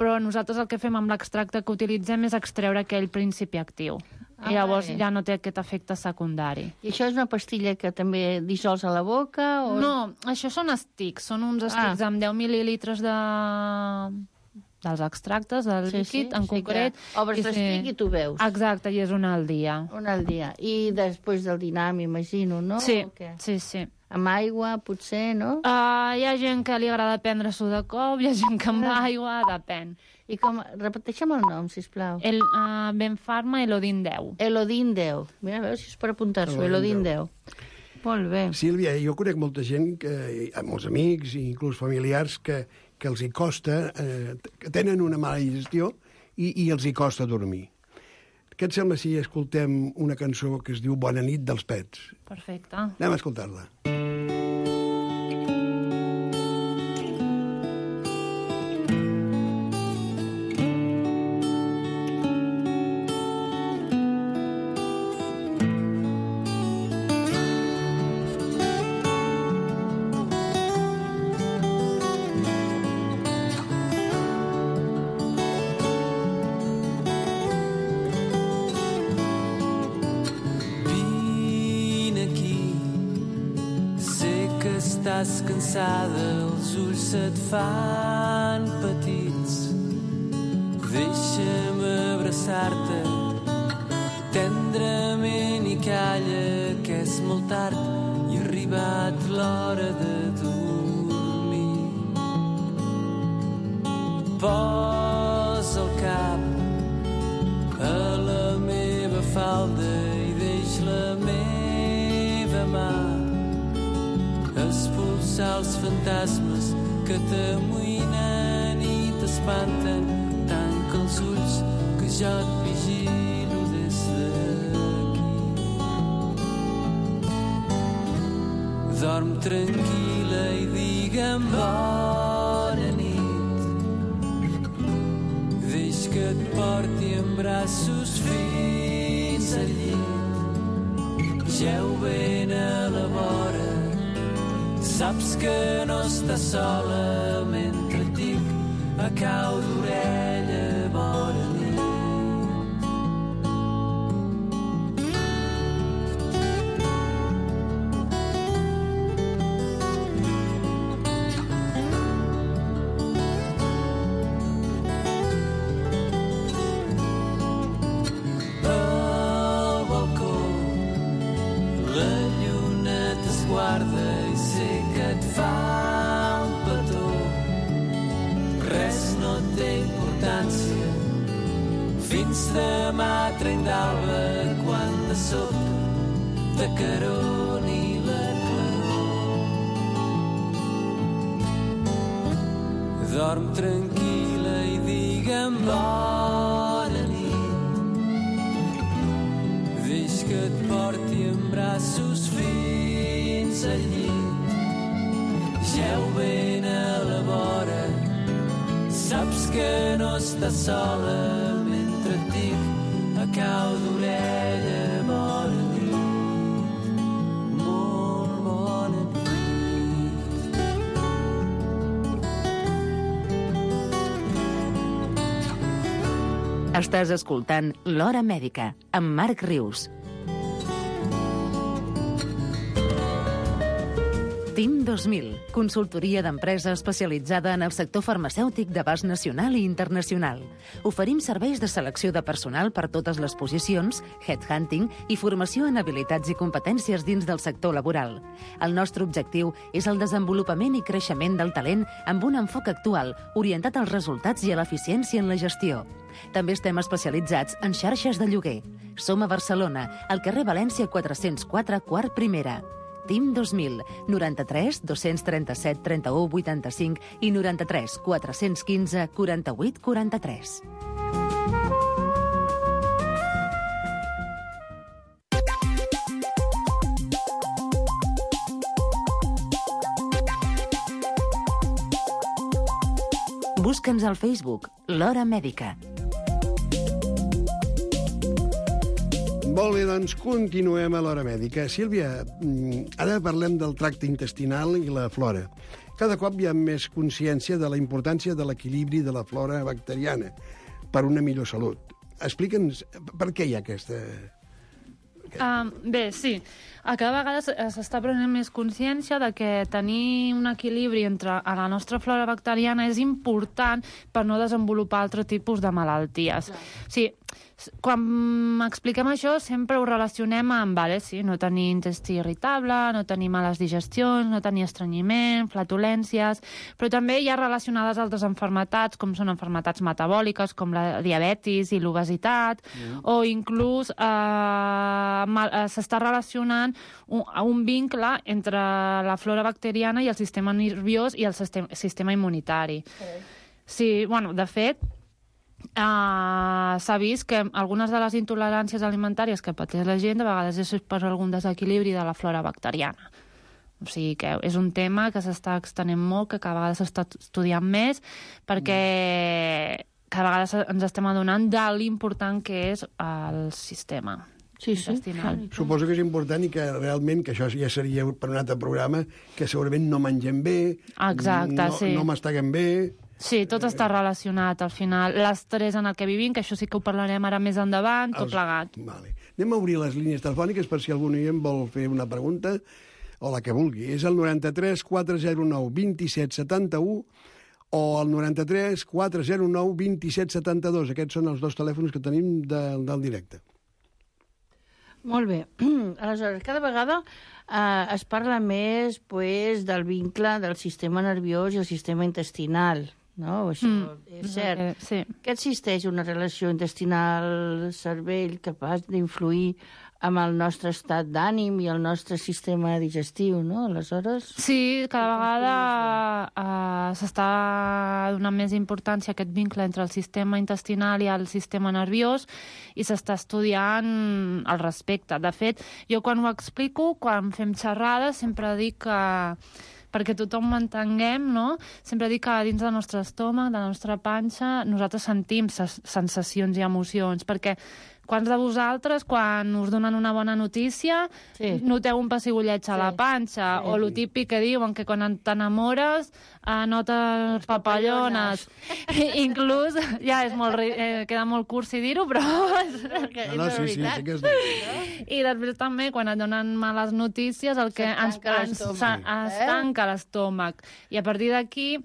però nosaltres el que fem amb l'extracte que utilitzem és extreure aquell principi actiu. I llavors ja no té aquest efecte secundari. I això és una pastilla que també dissols a la boca? O... No, això són estics. Són uns estics amb 10 mil·lilitres dels extractes, del líquid, en concret. Obres l'estic i tu veus. Exacte, i és una al dia. Una al dia. I després del dinar, m'imagino, no? Sí, sí. Amb aigua, potser, no? Hi ha gent que li agrada prendre-s'ho de cop, hi ha gent que amb aigua, depèn. I com... Repeteixem el nom, sisplau. Benfarma Elodin 10. Elodin 10. Mira, a veure si és per apuntar-s'ho. Elodin 10. Molt bé. Sílvia, jo conec molta gent, molts amics i inclús familiars, que els hi costa, que tenen una mala digestió i els hi costa dormir. Què et sembla si escoltem una cançó que es diu Bona nit dels Pets? Perfecte. Anem a escoltar-la. Estàs cansada, els ulls se't fan petits. Deixa'm abraçar-te tendrament i calla, que és molt tard i ha arribat l'hora de dormir. Posa el cap a la meva falda i deix la meva mà expulsar els fantasmes que t'amoïnen i t'espanten. Tanca els ulls que jo et vigilo des d'aquí. Dorm tranquil·la i digue'm bona nit. Deix que et porti en braços fins al llit. Jeu ben a la vora, saps que no estàs sola mentre et dic a cau d'orella bona nit. Al balcó la lluna t'esguarda i sé que et fa un petó. Res no té importància fins demà trenc d'alba, quan de sobte t'acaroni la claror. Dorm tranquil·la i digue'm bona nit. Deix que et porti en braços fins al llit. Jeu ben a la vora, saps que no estàs sola mentre et dic a cau d'orella bona nit. Molt bona nit. Estàs escoltant L'Hora Mèdica, amb Marc Rius. TIM 2000, consultoria d'empresa especialitzada en el sector farmacèutic d'abast nacional i internacional. Oferim serveis de selecció de personal per totes les posicions, headhunting i formació en habilitats i competències dins del sector laboral. El nostre objectiu és el desenvolupament i creixement del talent amb un enfoc actual, orientat als resultats i a l'eficiència en la gestió. També estem especialitzats en xarxes de lloguer. Som a Barcelona, al carrer València 404, quart primera. TIM 2000, 93 237 31 85 i 93 415 48 43. Busca'ns al Facebook, L'Hora Mèdica. Molt bé, doncs continuem a l'Hora Mèdica. Sílvia, ara parlem del tracte intestinal i la flora. Cada cop hi ha més consciència de la importància de l'equilibri de la flora bacteriana per una millor salut. Explica'ns per què hi ha aquesta... Bé, sí. Cada vegada s'està prenent més consciència de que tenir un equilibri entre la nostra flora bacteriana és important per no desenvolupar altre tipus de malalties. Sí, quan expliquem això sempre ho relacionem amb, sí, no tenir intestí irritable, no tenir males digestions, no tenir estrenyiment, flatulències, però també hi ha relacionades altres malalties, com són malalties metabòliques, com la diabetis i l'obesitat, o inclús s'està relacionant un vincle entre la flora bacteriana i el sistema nerviós i el sistema immunitari. Sí, bueno, de fet, s'ha vist que algunes de les intoleràncies alimentàries que pateix la gent de vegades és per algun desequilibri de la flora bacteriana. O sigui que és un tema que s'està extenent molt, que cada vegada s'està estudiant més, perquè cada vegada ens estem adonant de l'important que és el sistema intestinal. Suposo que és important i que realment, que això ja seria per un altre programa, que segurament no mengem bé, no masteguem bé... Sí, tot està relacionat, al final. L'estrès en el que vivim, que això sí que ho parlarem ara més endavant, tot plegat. Vale. Anem a obrir les línies telefòniques per si algun oient vol fer una pregunta, o la que vulgui. És el 93 409 27 71 o el 93 409 27 72. Aquests són els dos telèfons que tenim del directe. Molt bé. Aleshores, cada vegada es parla més del vincle del sistema nerviós i el sistema intestinal. No? Això és cert. Sí. Que existeix una relació intestinal-cervell capaç d'influir amb el nostre estat d'ànim i el nostre sistema digestiu, no? Aleshores... Sí, cada vegada s'està donant més importància a aquest vincle entre el sistema intestinal i el sistema nerviós i s'està estudiant al respecte. De fet, jo quan ho explico, quan fem xerrades, sempre dic que perquè tothom ho entenguem, no? Sempre dic que dins del nostre estómac, de la nostra panxa, nosaltres sentim sensacions i emocions, perquè quants de vosaltres, quan us donen una bona notícia, noteu un pessigolleig a la panxa, o el típic que diuen que quan t'enamores notes papallones. Inclús, ja és molt, queda molt cursi dir-ho, però és veritat. I després també, quan et donen males notícies, el que ens tanca l'estómac. I a partir d'aquí,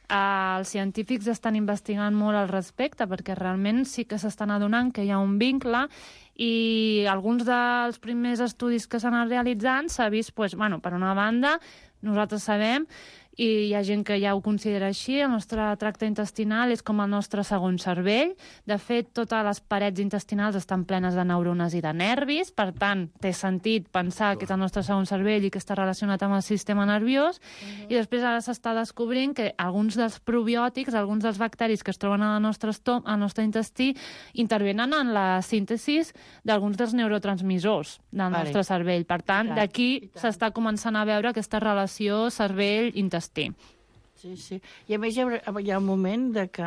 els científics estan investigant molt al respecte perquè realment sí que s'estan adonant que hi ha un vincle i alguns dels primers estudis que s'han realitzat s'ha vist, per una banda, nosaltres sabem, i hi ha gent que ja ho considera així, el nostre tracte intestinal és com el nostre segon cervell. De fet, totes les parets intestinals estan plenes de neurones i de nervis, per tant, té sentit pensar que és el nostre segon cervell i que està relacionat amb el sistema nerviós, i després ara s'està descobrint que alguns dels probiòtics, alguns dels bacteris que es troben al nostre intestí, intervenen en la síntesi d'alguns dels neurotransmissors del nostre cervell. Per tant, d'aquí s'està començant a veure aquesta relació cervell-intestí. Sí. I a més hi ha un moment de que,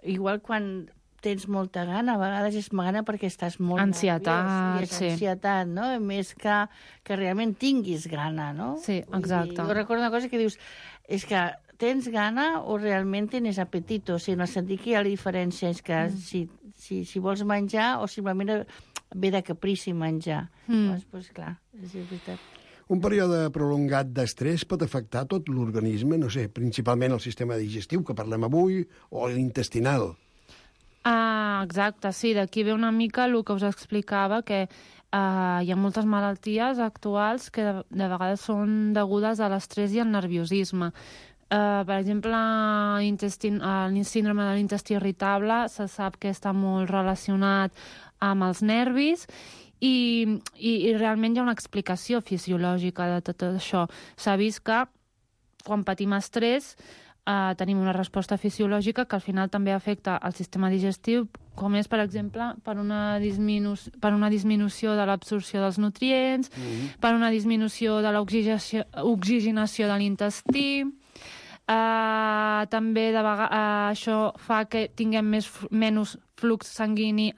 igual quan tens molta gana, a vegades és gana perquè estàs molt ansietat, nerviós, i és ansietat, no? Més que realment tinguis gana, no? Sí, exacte. Jo recordo una cosa que dius, és que tens gana o realment tens apetito, o sigui, en el sentit que hi ha la diferència, és que si vols menjar o simplement ve de caprici menjar. Doncs clar, és veritat. Un període prolongat d'estrès pot afectar tot l'organisme, no sé, principalment el sistema digestiu, que parlem avui, o l'intestinal. Exacte, sí, d'aquí ve una mica el que us explicava, que hi ha moltes malalties actuals que de vegades són degudes a l'estrès i al nerviosisme. Per exemple, el síndrome de l'intestí irritable se sap que està molt relacionat amb els nervis i realment hi ha una explicació fisiològica de tot això. S'ha vist que quan patim estrès tenim una resposta fisiològica que al final també afecta el sistema digestiu, com és, per exemple, per una disminució de l'absorció dels nutrients, per una disminució de l'oxigenació de l'intestí. També això fa que tinguem menys flux sanguini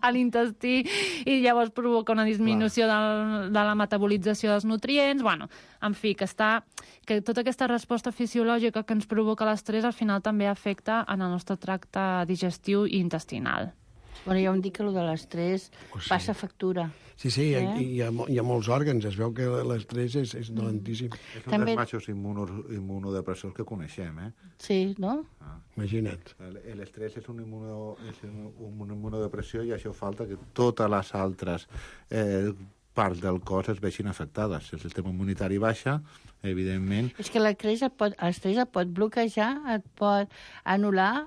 a l'intestí, i llavors provoca una disminució de la metabolització dels nutrients. En fi, que tota aquesta resposta fisiològica que ens provoca l'estrès al final també afecta en el nostre tracte digestiu i intestinal. Bueno, ja em dic que el de l'estrès passa factura. Sí, hi ha molts òrgans. Es veu que l'estrès és dolentíssim. És un dels majors immunodepressors que coneixem, Sí, no? Imagina't. L'estrès és una immunodepressió i això falta que totes les altres parts del cos es vegin afectades. Si el sistema immunitari baixa, evidentment... És que l'estrès et pot bloquejar, et pot anul·lar,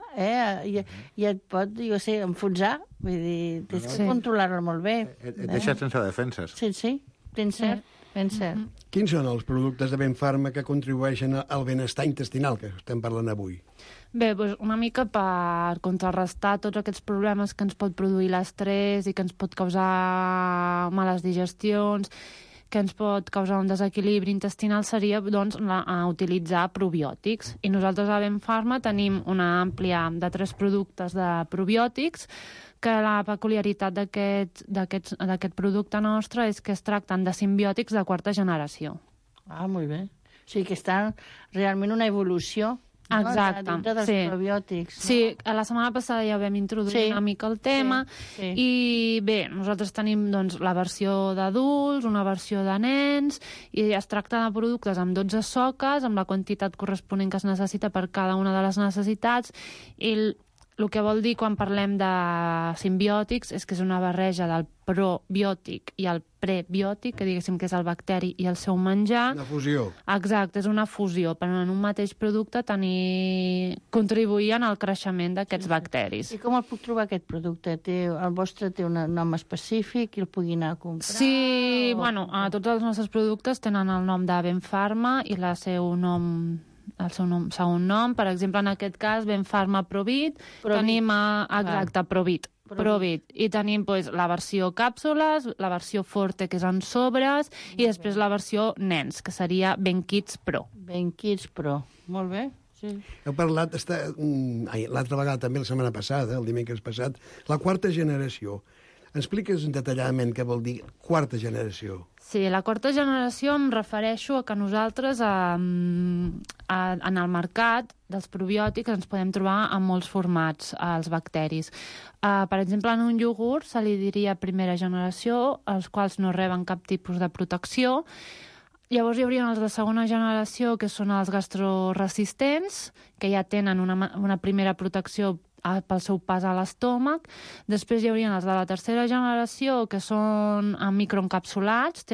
i et pot, enfonsar. Vull dir, tens que controlar-lo molt bé. Et deixa sense defenses. Sí, ben cert. Quins són els productes de Benfarma que contribueixen al benestar intestinal que estem parlant avui? Bé, doncs una mica per contrarrestar tots aquests problemes que ens pot produir l'estrès i que ens pot causar males digestions, que ens pot causar un desequilibri intestinal, seria doncs, utilitzar probiòtics. I nosaltres a Benfarma tenim una àmplia de 3 productes de probiòtics, que la peculiaritat d'aquest producte nostre és que es tracten de simbiòtics de 4ª generació. Ah, molt bé. O sigui que està realment una evolució. Exacte, dintre dels probiòtics. Sí, la setmana passada ja vam introduir una mica el tema i bé, nosaltres tenim doncs, la versió d'adults, una versió de nens i es tracta de productes amb 12 soques, amb la quantitat corresponent que es necessita per cada una de les necessitats i el que vol dir quan parlem de simbiòtics és que és una barreja del probiòtic i el prebiòtic, que diguéssim que és el bacteri i el seu menjar. Una fusió. Exacte, és una fusió, però en un mateix producte contribuir al creixement d'aquests bacteris. I com el puc trobar, aquest producte? El vostre té un nom específic i el pugui anar a comprar? Sí, bueno, tots els nostres productes tenen el nom de Benfarma i el seu segon nom, per exemple, en aquest cas, Benfarma Provit, tenim Provit, i tenim la versió càpsules, la versió Forte, que és en sobres, i després la versió nens, que seria BenKids Pro. BenKids Pro, molt bé. Sí. Heu parlat l'altra vegada, també la setmana passada, el dimecres passat, la 4ª generació. Expliques detalladament què vol dir 4ª generació. Sí, la 4ª generació em refereixo a que nosaltres en el mercat dels probiòtics ens podem trobar en molts formats els bacteris. Per exemple, en un iogurt se li diria 1ª generació, els quals no reben cap tipus de protecció. Llavors hi haurien els de 2ª generació, que són els gastroresistents, que ja tenen una primera protecció pel seu pas a l'estómac. Després hi haurien els de la 3ª generació, que són microencapsulats,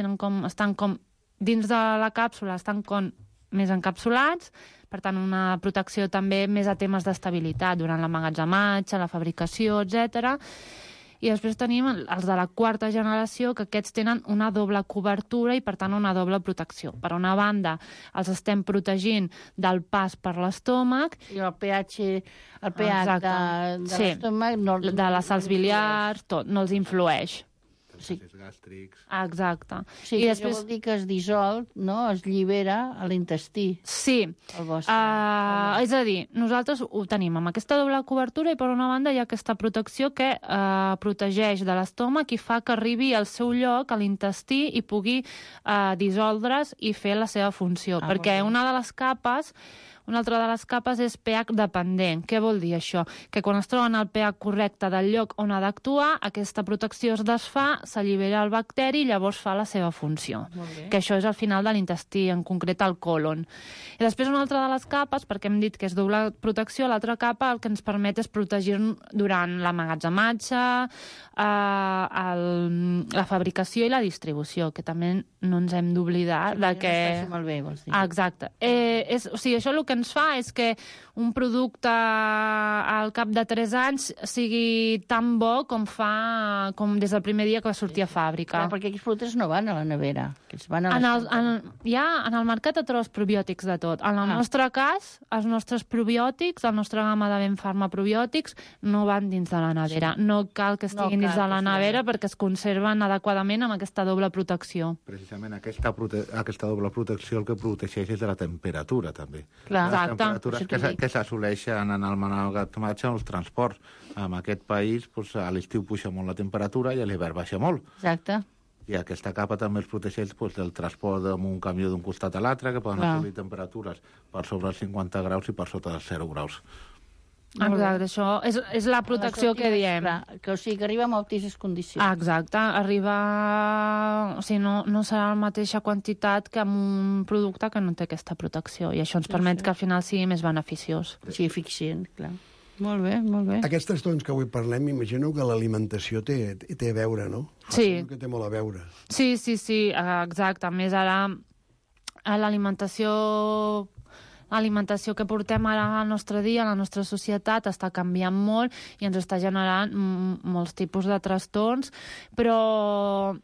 estan com dins de la càpsula, estan com més encapsulats, per tant, una protecció també més a temes d'estabilitat durant l'emmagatzematge, la fabricació, etc. I després tenim els de la 4ª generació, que aquests tenen una doble cobertura i, per tant, una doble protecció. Per una banda, els estem protegint del pas per l'estómac. I el pH de l'estómac... de les sals biliars, tot, no els influeix. Gàstrics. Exacte. Sí, i després vol dir que es dissol, no? Es llibera a l'intestí. Sí. És a dir, nosaltres ho tenim amb aquesta doble cobertura i per una banda hi ha aquesta protecció que protegeix de l'estómac i fa que arribi al seu lloc, a l'intestí, i pugui dissoldre's i fer la seva funció. Perquè una altra de les capes és pH dependent. Què vol dir això? Que quan es troben al pH correcte del lloc on ha d'actuar, aquesta protecció es desfà, s'allibera el bacteri i llavors fa la seva funció. Que això és al final de l'intestí, en concret al colon. I després una altra de les capes, perquè hem dit que és doble protecció, l'altra capa el que ens permet és protegir-nos durant l'emmagatzematge, la fabricació i la distribució, que també no ens hem d'oblidar de que... Molt bé, vols dir. Exacte. O sigui, això el que ens fa és que un producte al cap de 3 anys sigui tan bo com des del primer dia que va sortir a fàbrica. Perquè aquests productes no van a la nevera. En el mercat et trobes probiòtics de tot. En el nostre cas, els nostres probiòtics, la nostra gamma de Benfarma probiòtics, no van dins de la nevera. No cal que estiguin dins de la nevera perquè es conserven adequadament amb aquesta doble protecció. Precisament aquesta doble protecció el que protegeix és de la temperatura, també. Clar. Les temperatures que s'assoleixen en el emmagatzematge o els transports. En aquest país, a l'estiu puja molt la temperatura i a l'hivern baixa molt. Exacte. I aquesta capa també els protegeix del transport amb un camió d'un costat a l'altre, que poden assolir temperatures per sobre els 50 graus i per sota dels 0 graus. Exacte, això és la protecció que diem. O sigui, que arriba amb altíssimes condicions. Exacte, arriba... O sigui, no serà la mateixa quantitat que amb un producte que no té aquesta protecció, i això ens permet que al final sigui més beneficiós. Sí, eficient, clar. Molt bé, molt bé. Aquests trastorns que avui parlem, m'imagino que l'alimentació té a veure, no? Sí. Que té molt a veure. Sí, exacte. A més, ara l'alimentació que portem ara al nostre dia, a la nostra societat, està canviant molt i ens està generant molts tipus de trastorns, però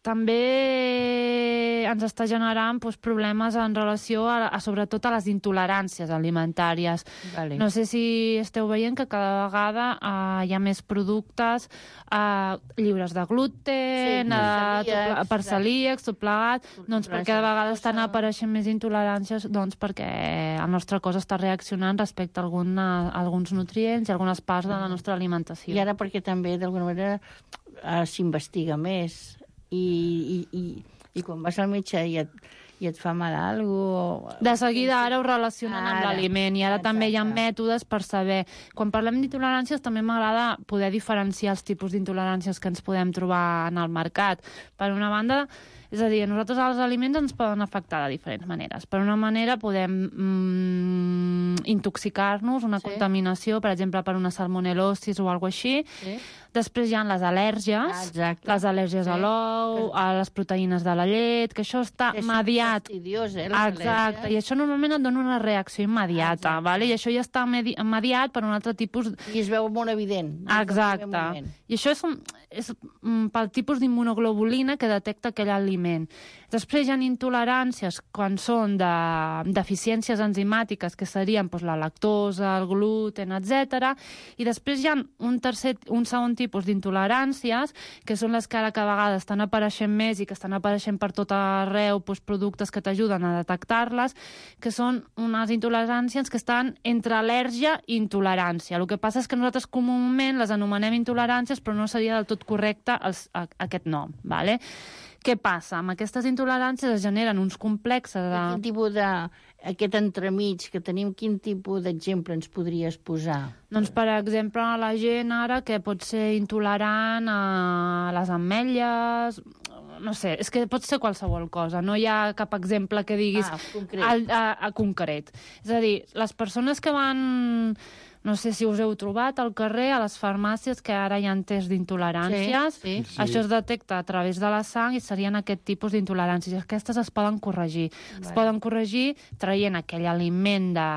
també ens està generant problemes en relació sobretot a les intoleràncies alimentàries. Vale. No sé si esteu veient que cada vegada hi ha més productes lliures de gluten, per celíacs, tot plegat, doncs perquè cada vegada estan apareixent més intoleràncies, doncs perquè el nostre cos està reaccionant respecte a alguns nutrients i algunes parts de la nostra alimentació. I ara perquè també, d'alguna manera, s'investiga més. I quan vas al metge i et fa mal alguna cosa... De seguida ara ho relacionen amb l'aliment i ara també hi ha mètodes per saber. Quan parlem d'intoleràncies també m'agrada poder diferenciar els tipus d'intoleràncies que ens podem trobar en el mercat. Per una banda, és a dir, a nosaltres els aliments ens poden afectar de diferents maneres. Per una manera podem intoxicar-nos, una contaminació, per exemple, per una salmonel·losi o alguna cosa així. Sí. Després hi ha les al·lèrgies, les al·lèrgies a l'ou, a les proteïnes de la llet, que això està mediat. Exacte, i això normalment et dona una reacció immediata, vale? I això ja està mediat per un altre tipus... I es veu molt evident. Exacte. I això és pel tipus d'immunoglobulina que detecta aquell aliment. Després hi ha intoleràncies quan són de deficiències enzimàtiques, que serien la lactosa, el gluten, etc. I després hi ha un segon tipus d'intoleràncies, que són les que ara cada vegada estan apareixent més i que estan apareixent per tot arreu, productes que t'ajuden a detectar-les, que són unes intoleràncies que estan entre al·lèrgia i intolerància. El que passa és que nosaltres comúment les anomenem intoleràncies, però no seria del tot correcte aquest nom, ¿vale? Què passa? Amb aquestes intoleràncies es generen uns complexes de... Quin tipus aquest entremig que tenim, quin tipus d'exemple ens podries posar? Doncs, per exemple, la gent ara que pot ser intolerant a les ametlles... No sé, és que pot ser qualsevol cosa. No hi ha cap exemple que diguis concret. És a dir, les persones que van... No sé si us heu trobat al carrer, a les farmàcies, que ara hi ha tests d'intoleràncies. Sí. Això es detecta a través de la sang i serien aquest tipus d'intoleràncies. Aquestes es poden corregir. Es poden corregir traient aquell aliment de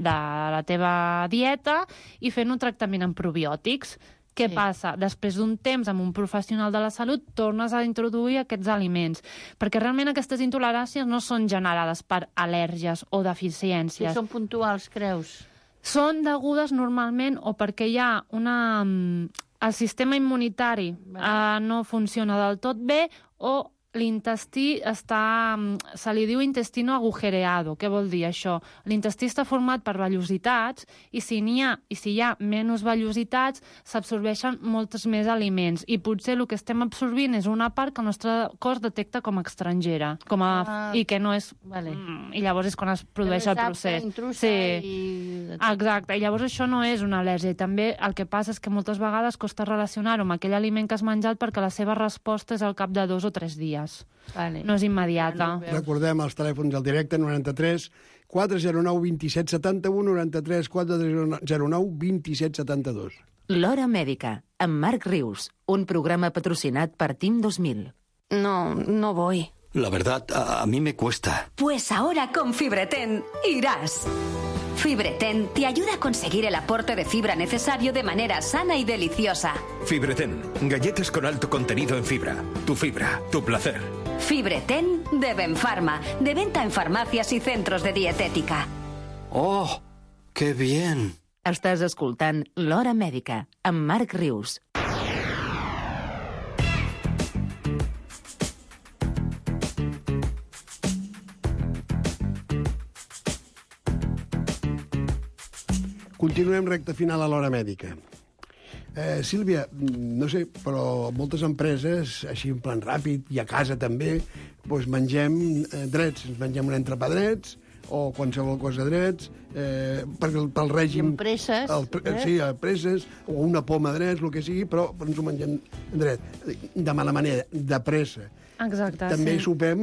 la teva dieta i fent un tractament amb probiòtics. Què passa? Després d'un temps amb un professional de la salut tornes a introduir aquests aliments, perquè realment aquestes intoleràncies no són generades per al·lèrgies o deficiències. Si són puntuals, creus? Són degudes normalment o perquè hi ha el sistema immunitari no funciona del tot bé o l'intestí se li diu intestino agujereado. Què vol dir això? L'intestí està format per vellositats i si hi ha menys vellositats s'absorbeixen molts més aliments i potser el que estem absorbint és una part que el nostre cos detecta com a estrangera i que no és... I llavors és quan es produeix el procés. Exacte. I llavors això no és una al·lèrgia. I també el que passa és que moltes vegades costa relacionar-ho amb aquell aliment que has menjat perquè la seva resposta és al cap de 2 o 3 dies. No és immediata. Recordem els telèfons al directe 93 409 27 71 93 409 27 72. L'Hora Mèdica, amb Marc Rius, un programa patrocinat per Team 2000. No voy. La verdad, a mí me cuesta. Pues ahora con Fibreten irás. Fibreten te ayuda a conseguir el aporte de fibra necesario de manera sana y deliciosa. Fibreten, galletas con alto contenido en fibra. Tu fibra, tu placer. Fibreten de Benfarma, de venta en farmacias y centros de dietética. ¡Oh, qué bien! Estàs escoltant L'Hora Mèdica, amb Marc Rius. Continuem recta final a l'Hora Mèdica. Sílvia, no sé, però moltes empreses, així en plan ràpid, i a casa també, doncs mengem drets. Ens mengem un entrepà drets, o qualsevol cosa drets, pel règim... Presses. Sí, presses, o una poma drets, el que sigui, però ens ho mengem dret. De mala manera, de pressa. Exacte, també sí. sopem,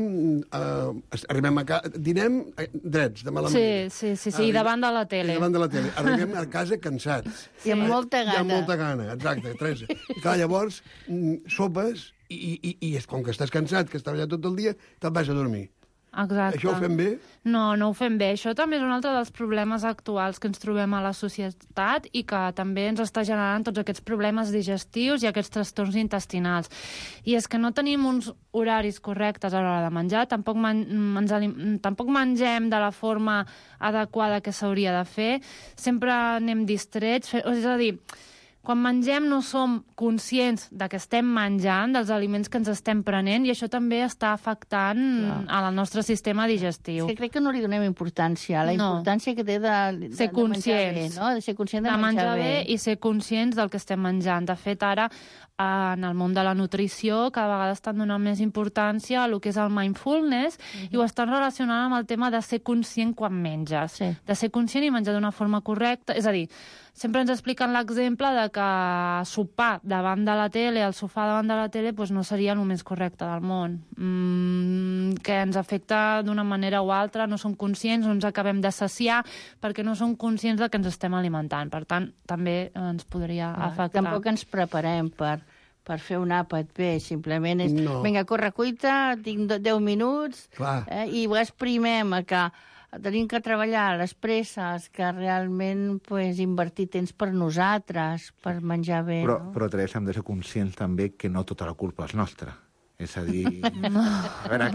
arribem a casa, dinem drets, de mala manera. Sí, i davant de la tele. I davant de la tele. Arribem a casa cansats. I amb molta gana. I amb molta gana, exacte, Teresa. I clar, llavors, sopes i com que estàs cansat, que has treballat tot el dia, te'n vas a dormir. Exacte. Això ho fem bé? No ho fem bé. Això també és un altre dels problemes actuals que ens trobem a la societat i que també ens està generant tots aquests problemes digestius i aquests trastorns intestinals. I és que no tenim uns horaris correctes a l'hora de menjar, tampoc mengem de la forma adequada que s'hauria de fer, sempre anem distrets, és a dir, quan mengem no som conscients de que estem menjant, dels aliments que ens estem prenent, i això també està afectant al nostre sistema digestiu. És que crec que no li donem importància, la importància que té de ser conscients. Menjar bé, no? De ser conscient de menjar bé i ser conscients del que estem menjant. De fet, ara, en el món de la nutrició, cada vegada estan donant més importància a el que és el mindfulness i ho estan relacionant amb el tema de ser conscient quan menges. Sí. De ser conscient i menjar d'una forma correcta. És a dir, sempre ens expliquen l'exemple de que sopar davant de la tele, al sofà davant de la tele, doncs no seria el més correcte del món. Que ens afecta d'una manera o altra, no som conscients, no ens acabem de saciar, perquè no som conscients de que ens estem alimentant. Per tant, també ens podria afectar. Tampoc ens preparem per fer un àpat bé, simplement és... No. Vinga, corre, cuita, tinc 10 minuts, i ho exprimem a que tenim que treballar les presses, que realment invertir temps per nosaltres, per menjar bé. Però Teresa, hem de ser conscients també que no tota la culpa és nostra. És a dir, a veure,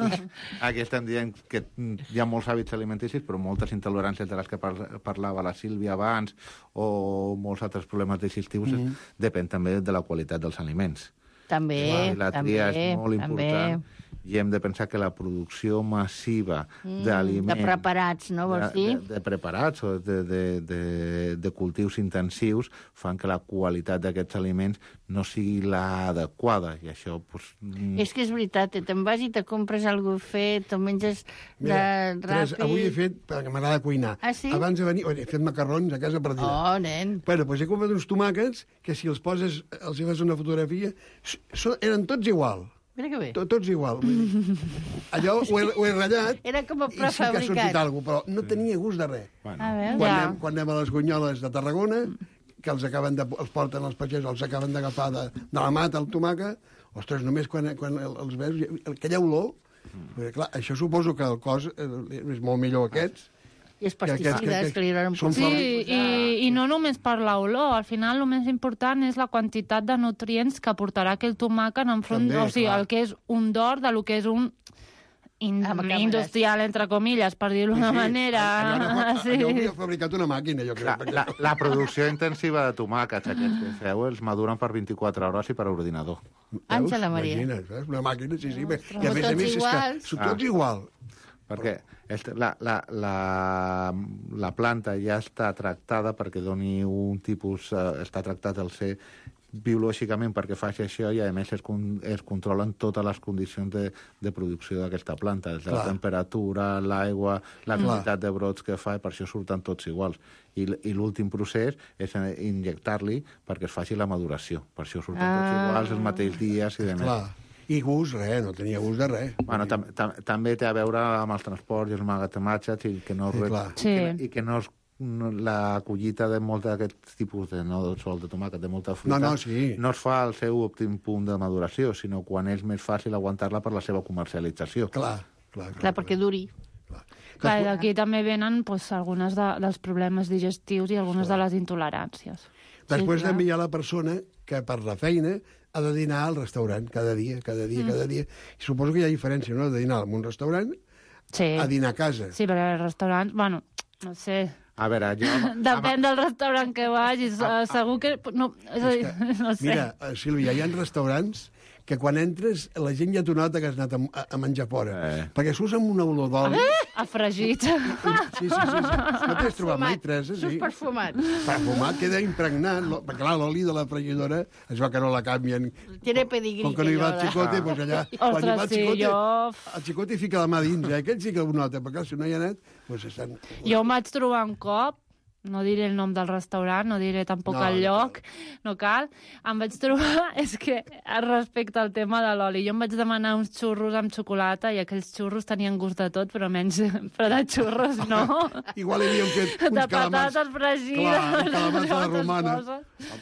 aquí estem dient que hi ha molts hàbits alimenticis, però moltes intoleràncies de les que parlava la Sílvia abans, o molts altres problemes digestius, depèn també de la qualitat dels aliments. També, la tria és molt important. I hem de pensar que la producció massiva d'aliments... De preparats, no vols dir? De preparats o de cultius intensius fan que la qualitat d'aquests aliments no sigui l'adequada. I això, És que és veritat, te'n vas i te compres alguna cosa fet, o menges ràpid... Avui he fet, perquè m'agrada cuinar. Ah, sí? Abans de venir, he fet macarrons a casa per dinar. Oh, nen! Bueno, doncs he comprat uns tomàquets que si els poses, els hi fas una fotografia, eren tots igual. Mira que bé. Tots igual. Allò ho he ratllat. Era com a prefabricat. I sí que ha sortit alguna cosa, però no tenia gust de res. A veure, quan anem a les Gunyoles de Tarragona, que els porten els pagès, els acaben d'agafar de la mata, el tomàquet, ostres, només quan els veus, aquella olor, clar, això suposo que el cos és molt millor aquests. I els pesticides que li donen... Sí, i no només per l'olor. Al final, el més important és la quantitat de nutrients que aportarà aquell tomàquet enfront, o sigui, el que és un d'or de lo que és un industrial, entre comilles, per dir-ho d'una manera. Allò havia fabricat una màquina, jo crec. La producció intensiva de tomàquets, aquests que feu, els maduren per 24 hores i per ordinador. Àngela Maria. Imagina't, una màquina, sí. I a més, és que són tots igual. Perquè la planta ja està tractada perquè doni un tipus... està tractat al ser biològicament perquè faci això i, a més, es controlen totes les condicions de producció d'aquesta planta, des de la temperatura, l'aigua, la quantitat de brots que fa, i per això surten tots iguals. I l'últim procés és injectar-li perquè es faci la maduració. Per això surten tots iguals, els mateixos dies i demés. Clar. I gust, res, no tenia gust de res. Bueno, també té a veure amb els transports i els magatzemats i que no és la collita de molt d'aquest tipus de no sol de tomàquet, de molta fruita, no es fa al seu òptim punt de maduració, sinó quan és més fàcil aguantar-la per la seva comercialització. Clar, perquè duri. Clar, i d'aquí també venen alguns dels problemes digestius i algunes de les intoleràncies. Després també hi ha la persona que per la feina ha de dinar al restaurant cada dia. I suposo que hi ha diferència, no?, de dinar en un restaurant a dinar a casa. Sí, perquè els restaurants, bueno, no sé... A veure, depèn del restaurant que vagis, segur que... No, és a dir, no sé. Mira, Sílvia, hi ha restaurants que quan entres la gent ja t'ho nota que has anat a menjar fora. Perquè surts amb una olor d'oli. A fregit. Sí. No t'has trobat mai, Teresa? Surts perfumat. Perfumat, queda impregnat. Perquè, clar, l'oli de la fregidora es va que no la canvien. Tiene pedigrí. Com que no hi va el Chicote, doncs allà... Ostres, sí, jo... El Chicote fica la mà dins, Aquest sí que ho nota, perquè si no hi ha anat, doncs estan... Jo em vaig trobar un cop, no diré el nom del restaurant, no diré tampoc el lloc, no cal. Em vaig trobar, és que respecte al tema de l'oli, jo em vaig demanar uns xurros amb xocolata i aquells xurros tenien gust de tot, però de xurros no. Igual hi havia fet uns de patates fregides. Clar, calamars a la romana.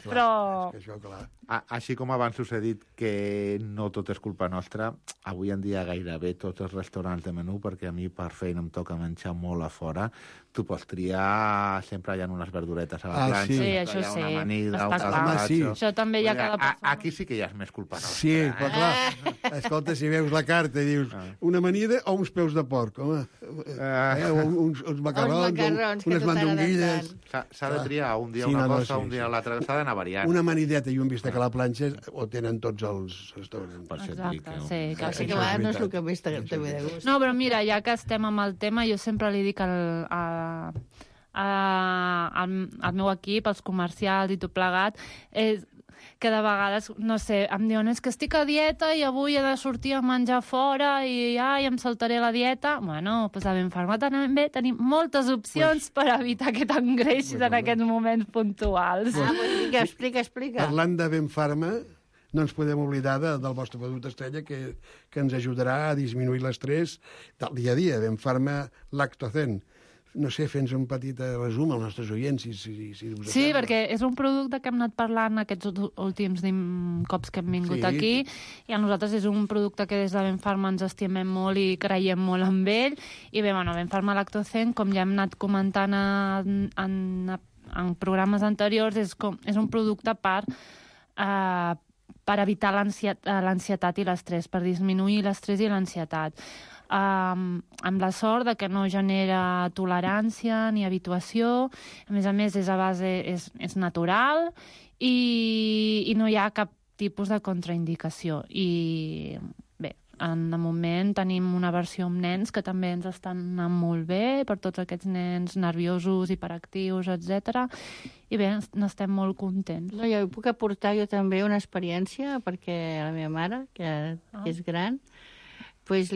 Però... És que això, clar. Així com abans us he dit que no tot és culpa nostra, avui en dia gairebé tots els restaurants de menú, perquè a mi per feina em toca menjar molt a fora, tu pots triar, sempre hi ha unes verduretes a la planxa, sí, això sí, una amanida, està un clar. carpaccio... Això també hi ha cada persona. Aquí sí que ja és més culpa nostra. Sí, però clar, escolta, si veus la carta i dius una amanida o uns peus de porc, home, uns macarrons, unes mandonguilles... S'ha de triar un dia una cosa, un dia l'altra, s'ha d'anar variant. Una amanideta i un bistec a la planxa ho tenen tots els restaurants. Exacte, sí. Así que a vegades no és el que més te ve de gust. No, però mira, ja que estem amb el tema, jo sempre li dic al meu equip, als comercials i tot plegat, que de vegades, no sé, em diuen és que estic a dieta i avui he de sortir a menjar fora i em saltaré la dieta. Bueno, doncs a Benfarma també tenim moltes opcions per evitar que t'engreixis en aquests moments puntuals. Explica. Parlant de Benfarma, no ens podem oblidar del vostre producte estrella que ens ajudarà a disminuir l'estrès del dia a dia, Benfarma Lactocen. No sé, fes un petit resum als nostres oients, si us Sí, sembla. perquè és un producte que hem anat parlant aquests últims cops que hem vingut aquí, i a nosaltres és un producte que des de Benfarma ens estimem molt i creiem molt en ell. I bé, Benfarma Lactocen, com ja hem anat comentant en programes anteriors, és un producte per evitar l'ansietat i l'estrès, per disminuir l'estrès i l'ansietat. Amb la sort de que no genera tolerància ni habituació, a més és a base, és natural i no hi ha cap tipus de contraindicació. I bé, de moment tenim una versió amb nens que també ens estan anant molt bé, per tots aquests nens nerviosos, hiperactius, etc. I bé, n'estem molt contents. No, jo puc aportar jo també una experiència, perquè la meva mare, que és gran, pues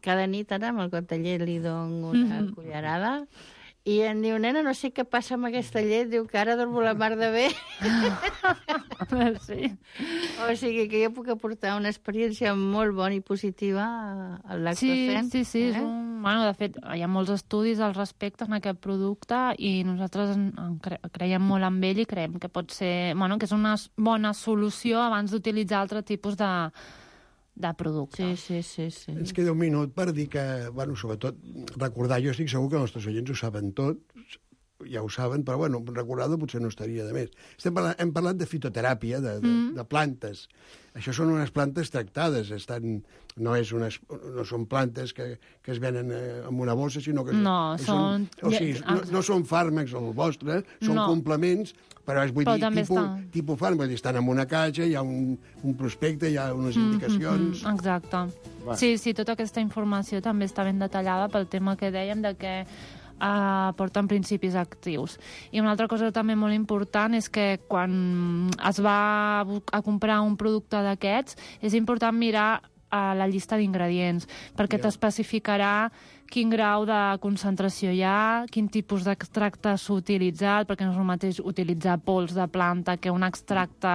cada nit ara amb el got de llet li dono una cullerada i em diu, nena, no sé què passa amb aquesta llet, diu que ara dormo la mar de bé. Sí. O sigui que jo puc aportar una experiència molt bona i positiva al Lactocen. Sí. De fet, hi ha molts estudis al respecte en aquest producte i nosaltres creiem molt en ell i creiem que pot ser, que és una bona solució abans d'utilitzar altre tipus de producte. Sí. Ens queda un minut per dir que, sobretot, recordar, jo estic segur que els nostres oients ho saben tot, ja ho saben, però, recordar-ho potser no estaria de més. Hem parlat de fitoteràpia, de plantes. Això són unes plantes tractades, no són plantes que es venen en una bossa, sinó que... No són fàrmacs el vostre, són complements, però vull dir, tipus fàrmac, estan en una caixa, hi ha un prospecte, hi ha unes indicacions... Exacte. Sí, tota aquesta informació també està ben detallada pel tema que dèiem de que porten principis actius. I una altra cosa també molt important és que quan es va a comprar un producte d'aquests és important mirar la llista d'ingredients, perquè t'especificarà quin grau de concentració hi ha, quin tipus d'extracte s'ha utilitzat, perquè no és el mateix utilitzar pols de planta que un extracte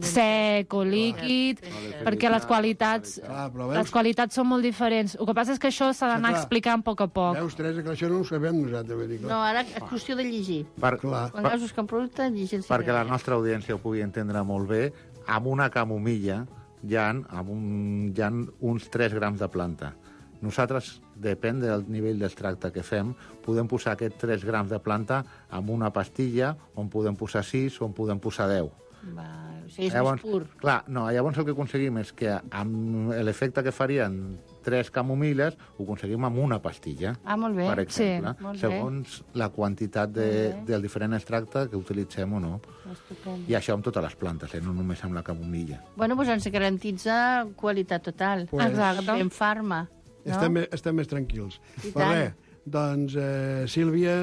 sec o líquid, perquè les qualitats són molt diferents. El que passa és que això s'ha d'anar explicant a poc a poc. Veus, Teresa, que això no ho sabem nosaltres. No, ara és qüestió de llegir. Quan veus buscar un producte, llegir. Perquè la nostra audiència ho pugui entendre molt bé, amb una camomilla hi ha uns 3 grams de planta. Nosaltres, depèn del nivell d'extracte que fem, podem posar aquests 3 grams de planta en una pastilla, on podem posar 6 o on podem posar 10. O sigui, és més pur. Clar, no, llavors el que aconseguim és que amb l'efecte que farien 3 camomil·les ho aconseguim amb una pastilla. Molt bé. Per exemple, molt segons la quantitat del diferent extracte que utilitzem o no. Estupendo. I això amb totes les plantes, no només amb la camomilla. Bueno, doncs ens garantitza qualitat total. Exacte. Fem farma. No? Estem més tranquils. I Però tant. res, doncs, Sílvia,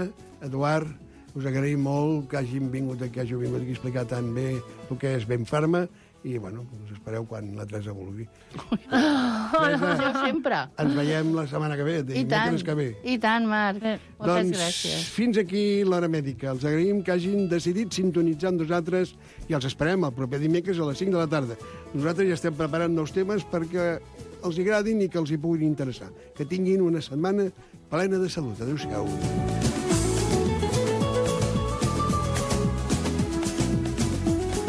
Eduard, us agraïm molt que hàgiu vingut aquí a explicar tan bé el que és Ben Farma i, bueno, us espereu quan la Teresa vulgui. Jo sempre. Ens veiem la setmana que ve, dimecres que ve. I tant, Marc. Moltes Doncs gràcies. fins aquí l'Hora Mèdica. Els agraïm que hagin decidit sintonitzar amb nosaltres i els esperem el proper dimecres a les 5 de la tarda. Nosaltres ja estem preparant nous temes perquè els agradin i que els hi puguin interessar. Que tinguin una setmana plena de salut. Adéu-siau.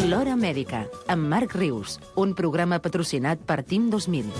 L'Hora Mèdica, amb Marc Rius, un programa patrocinat per Team 2000.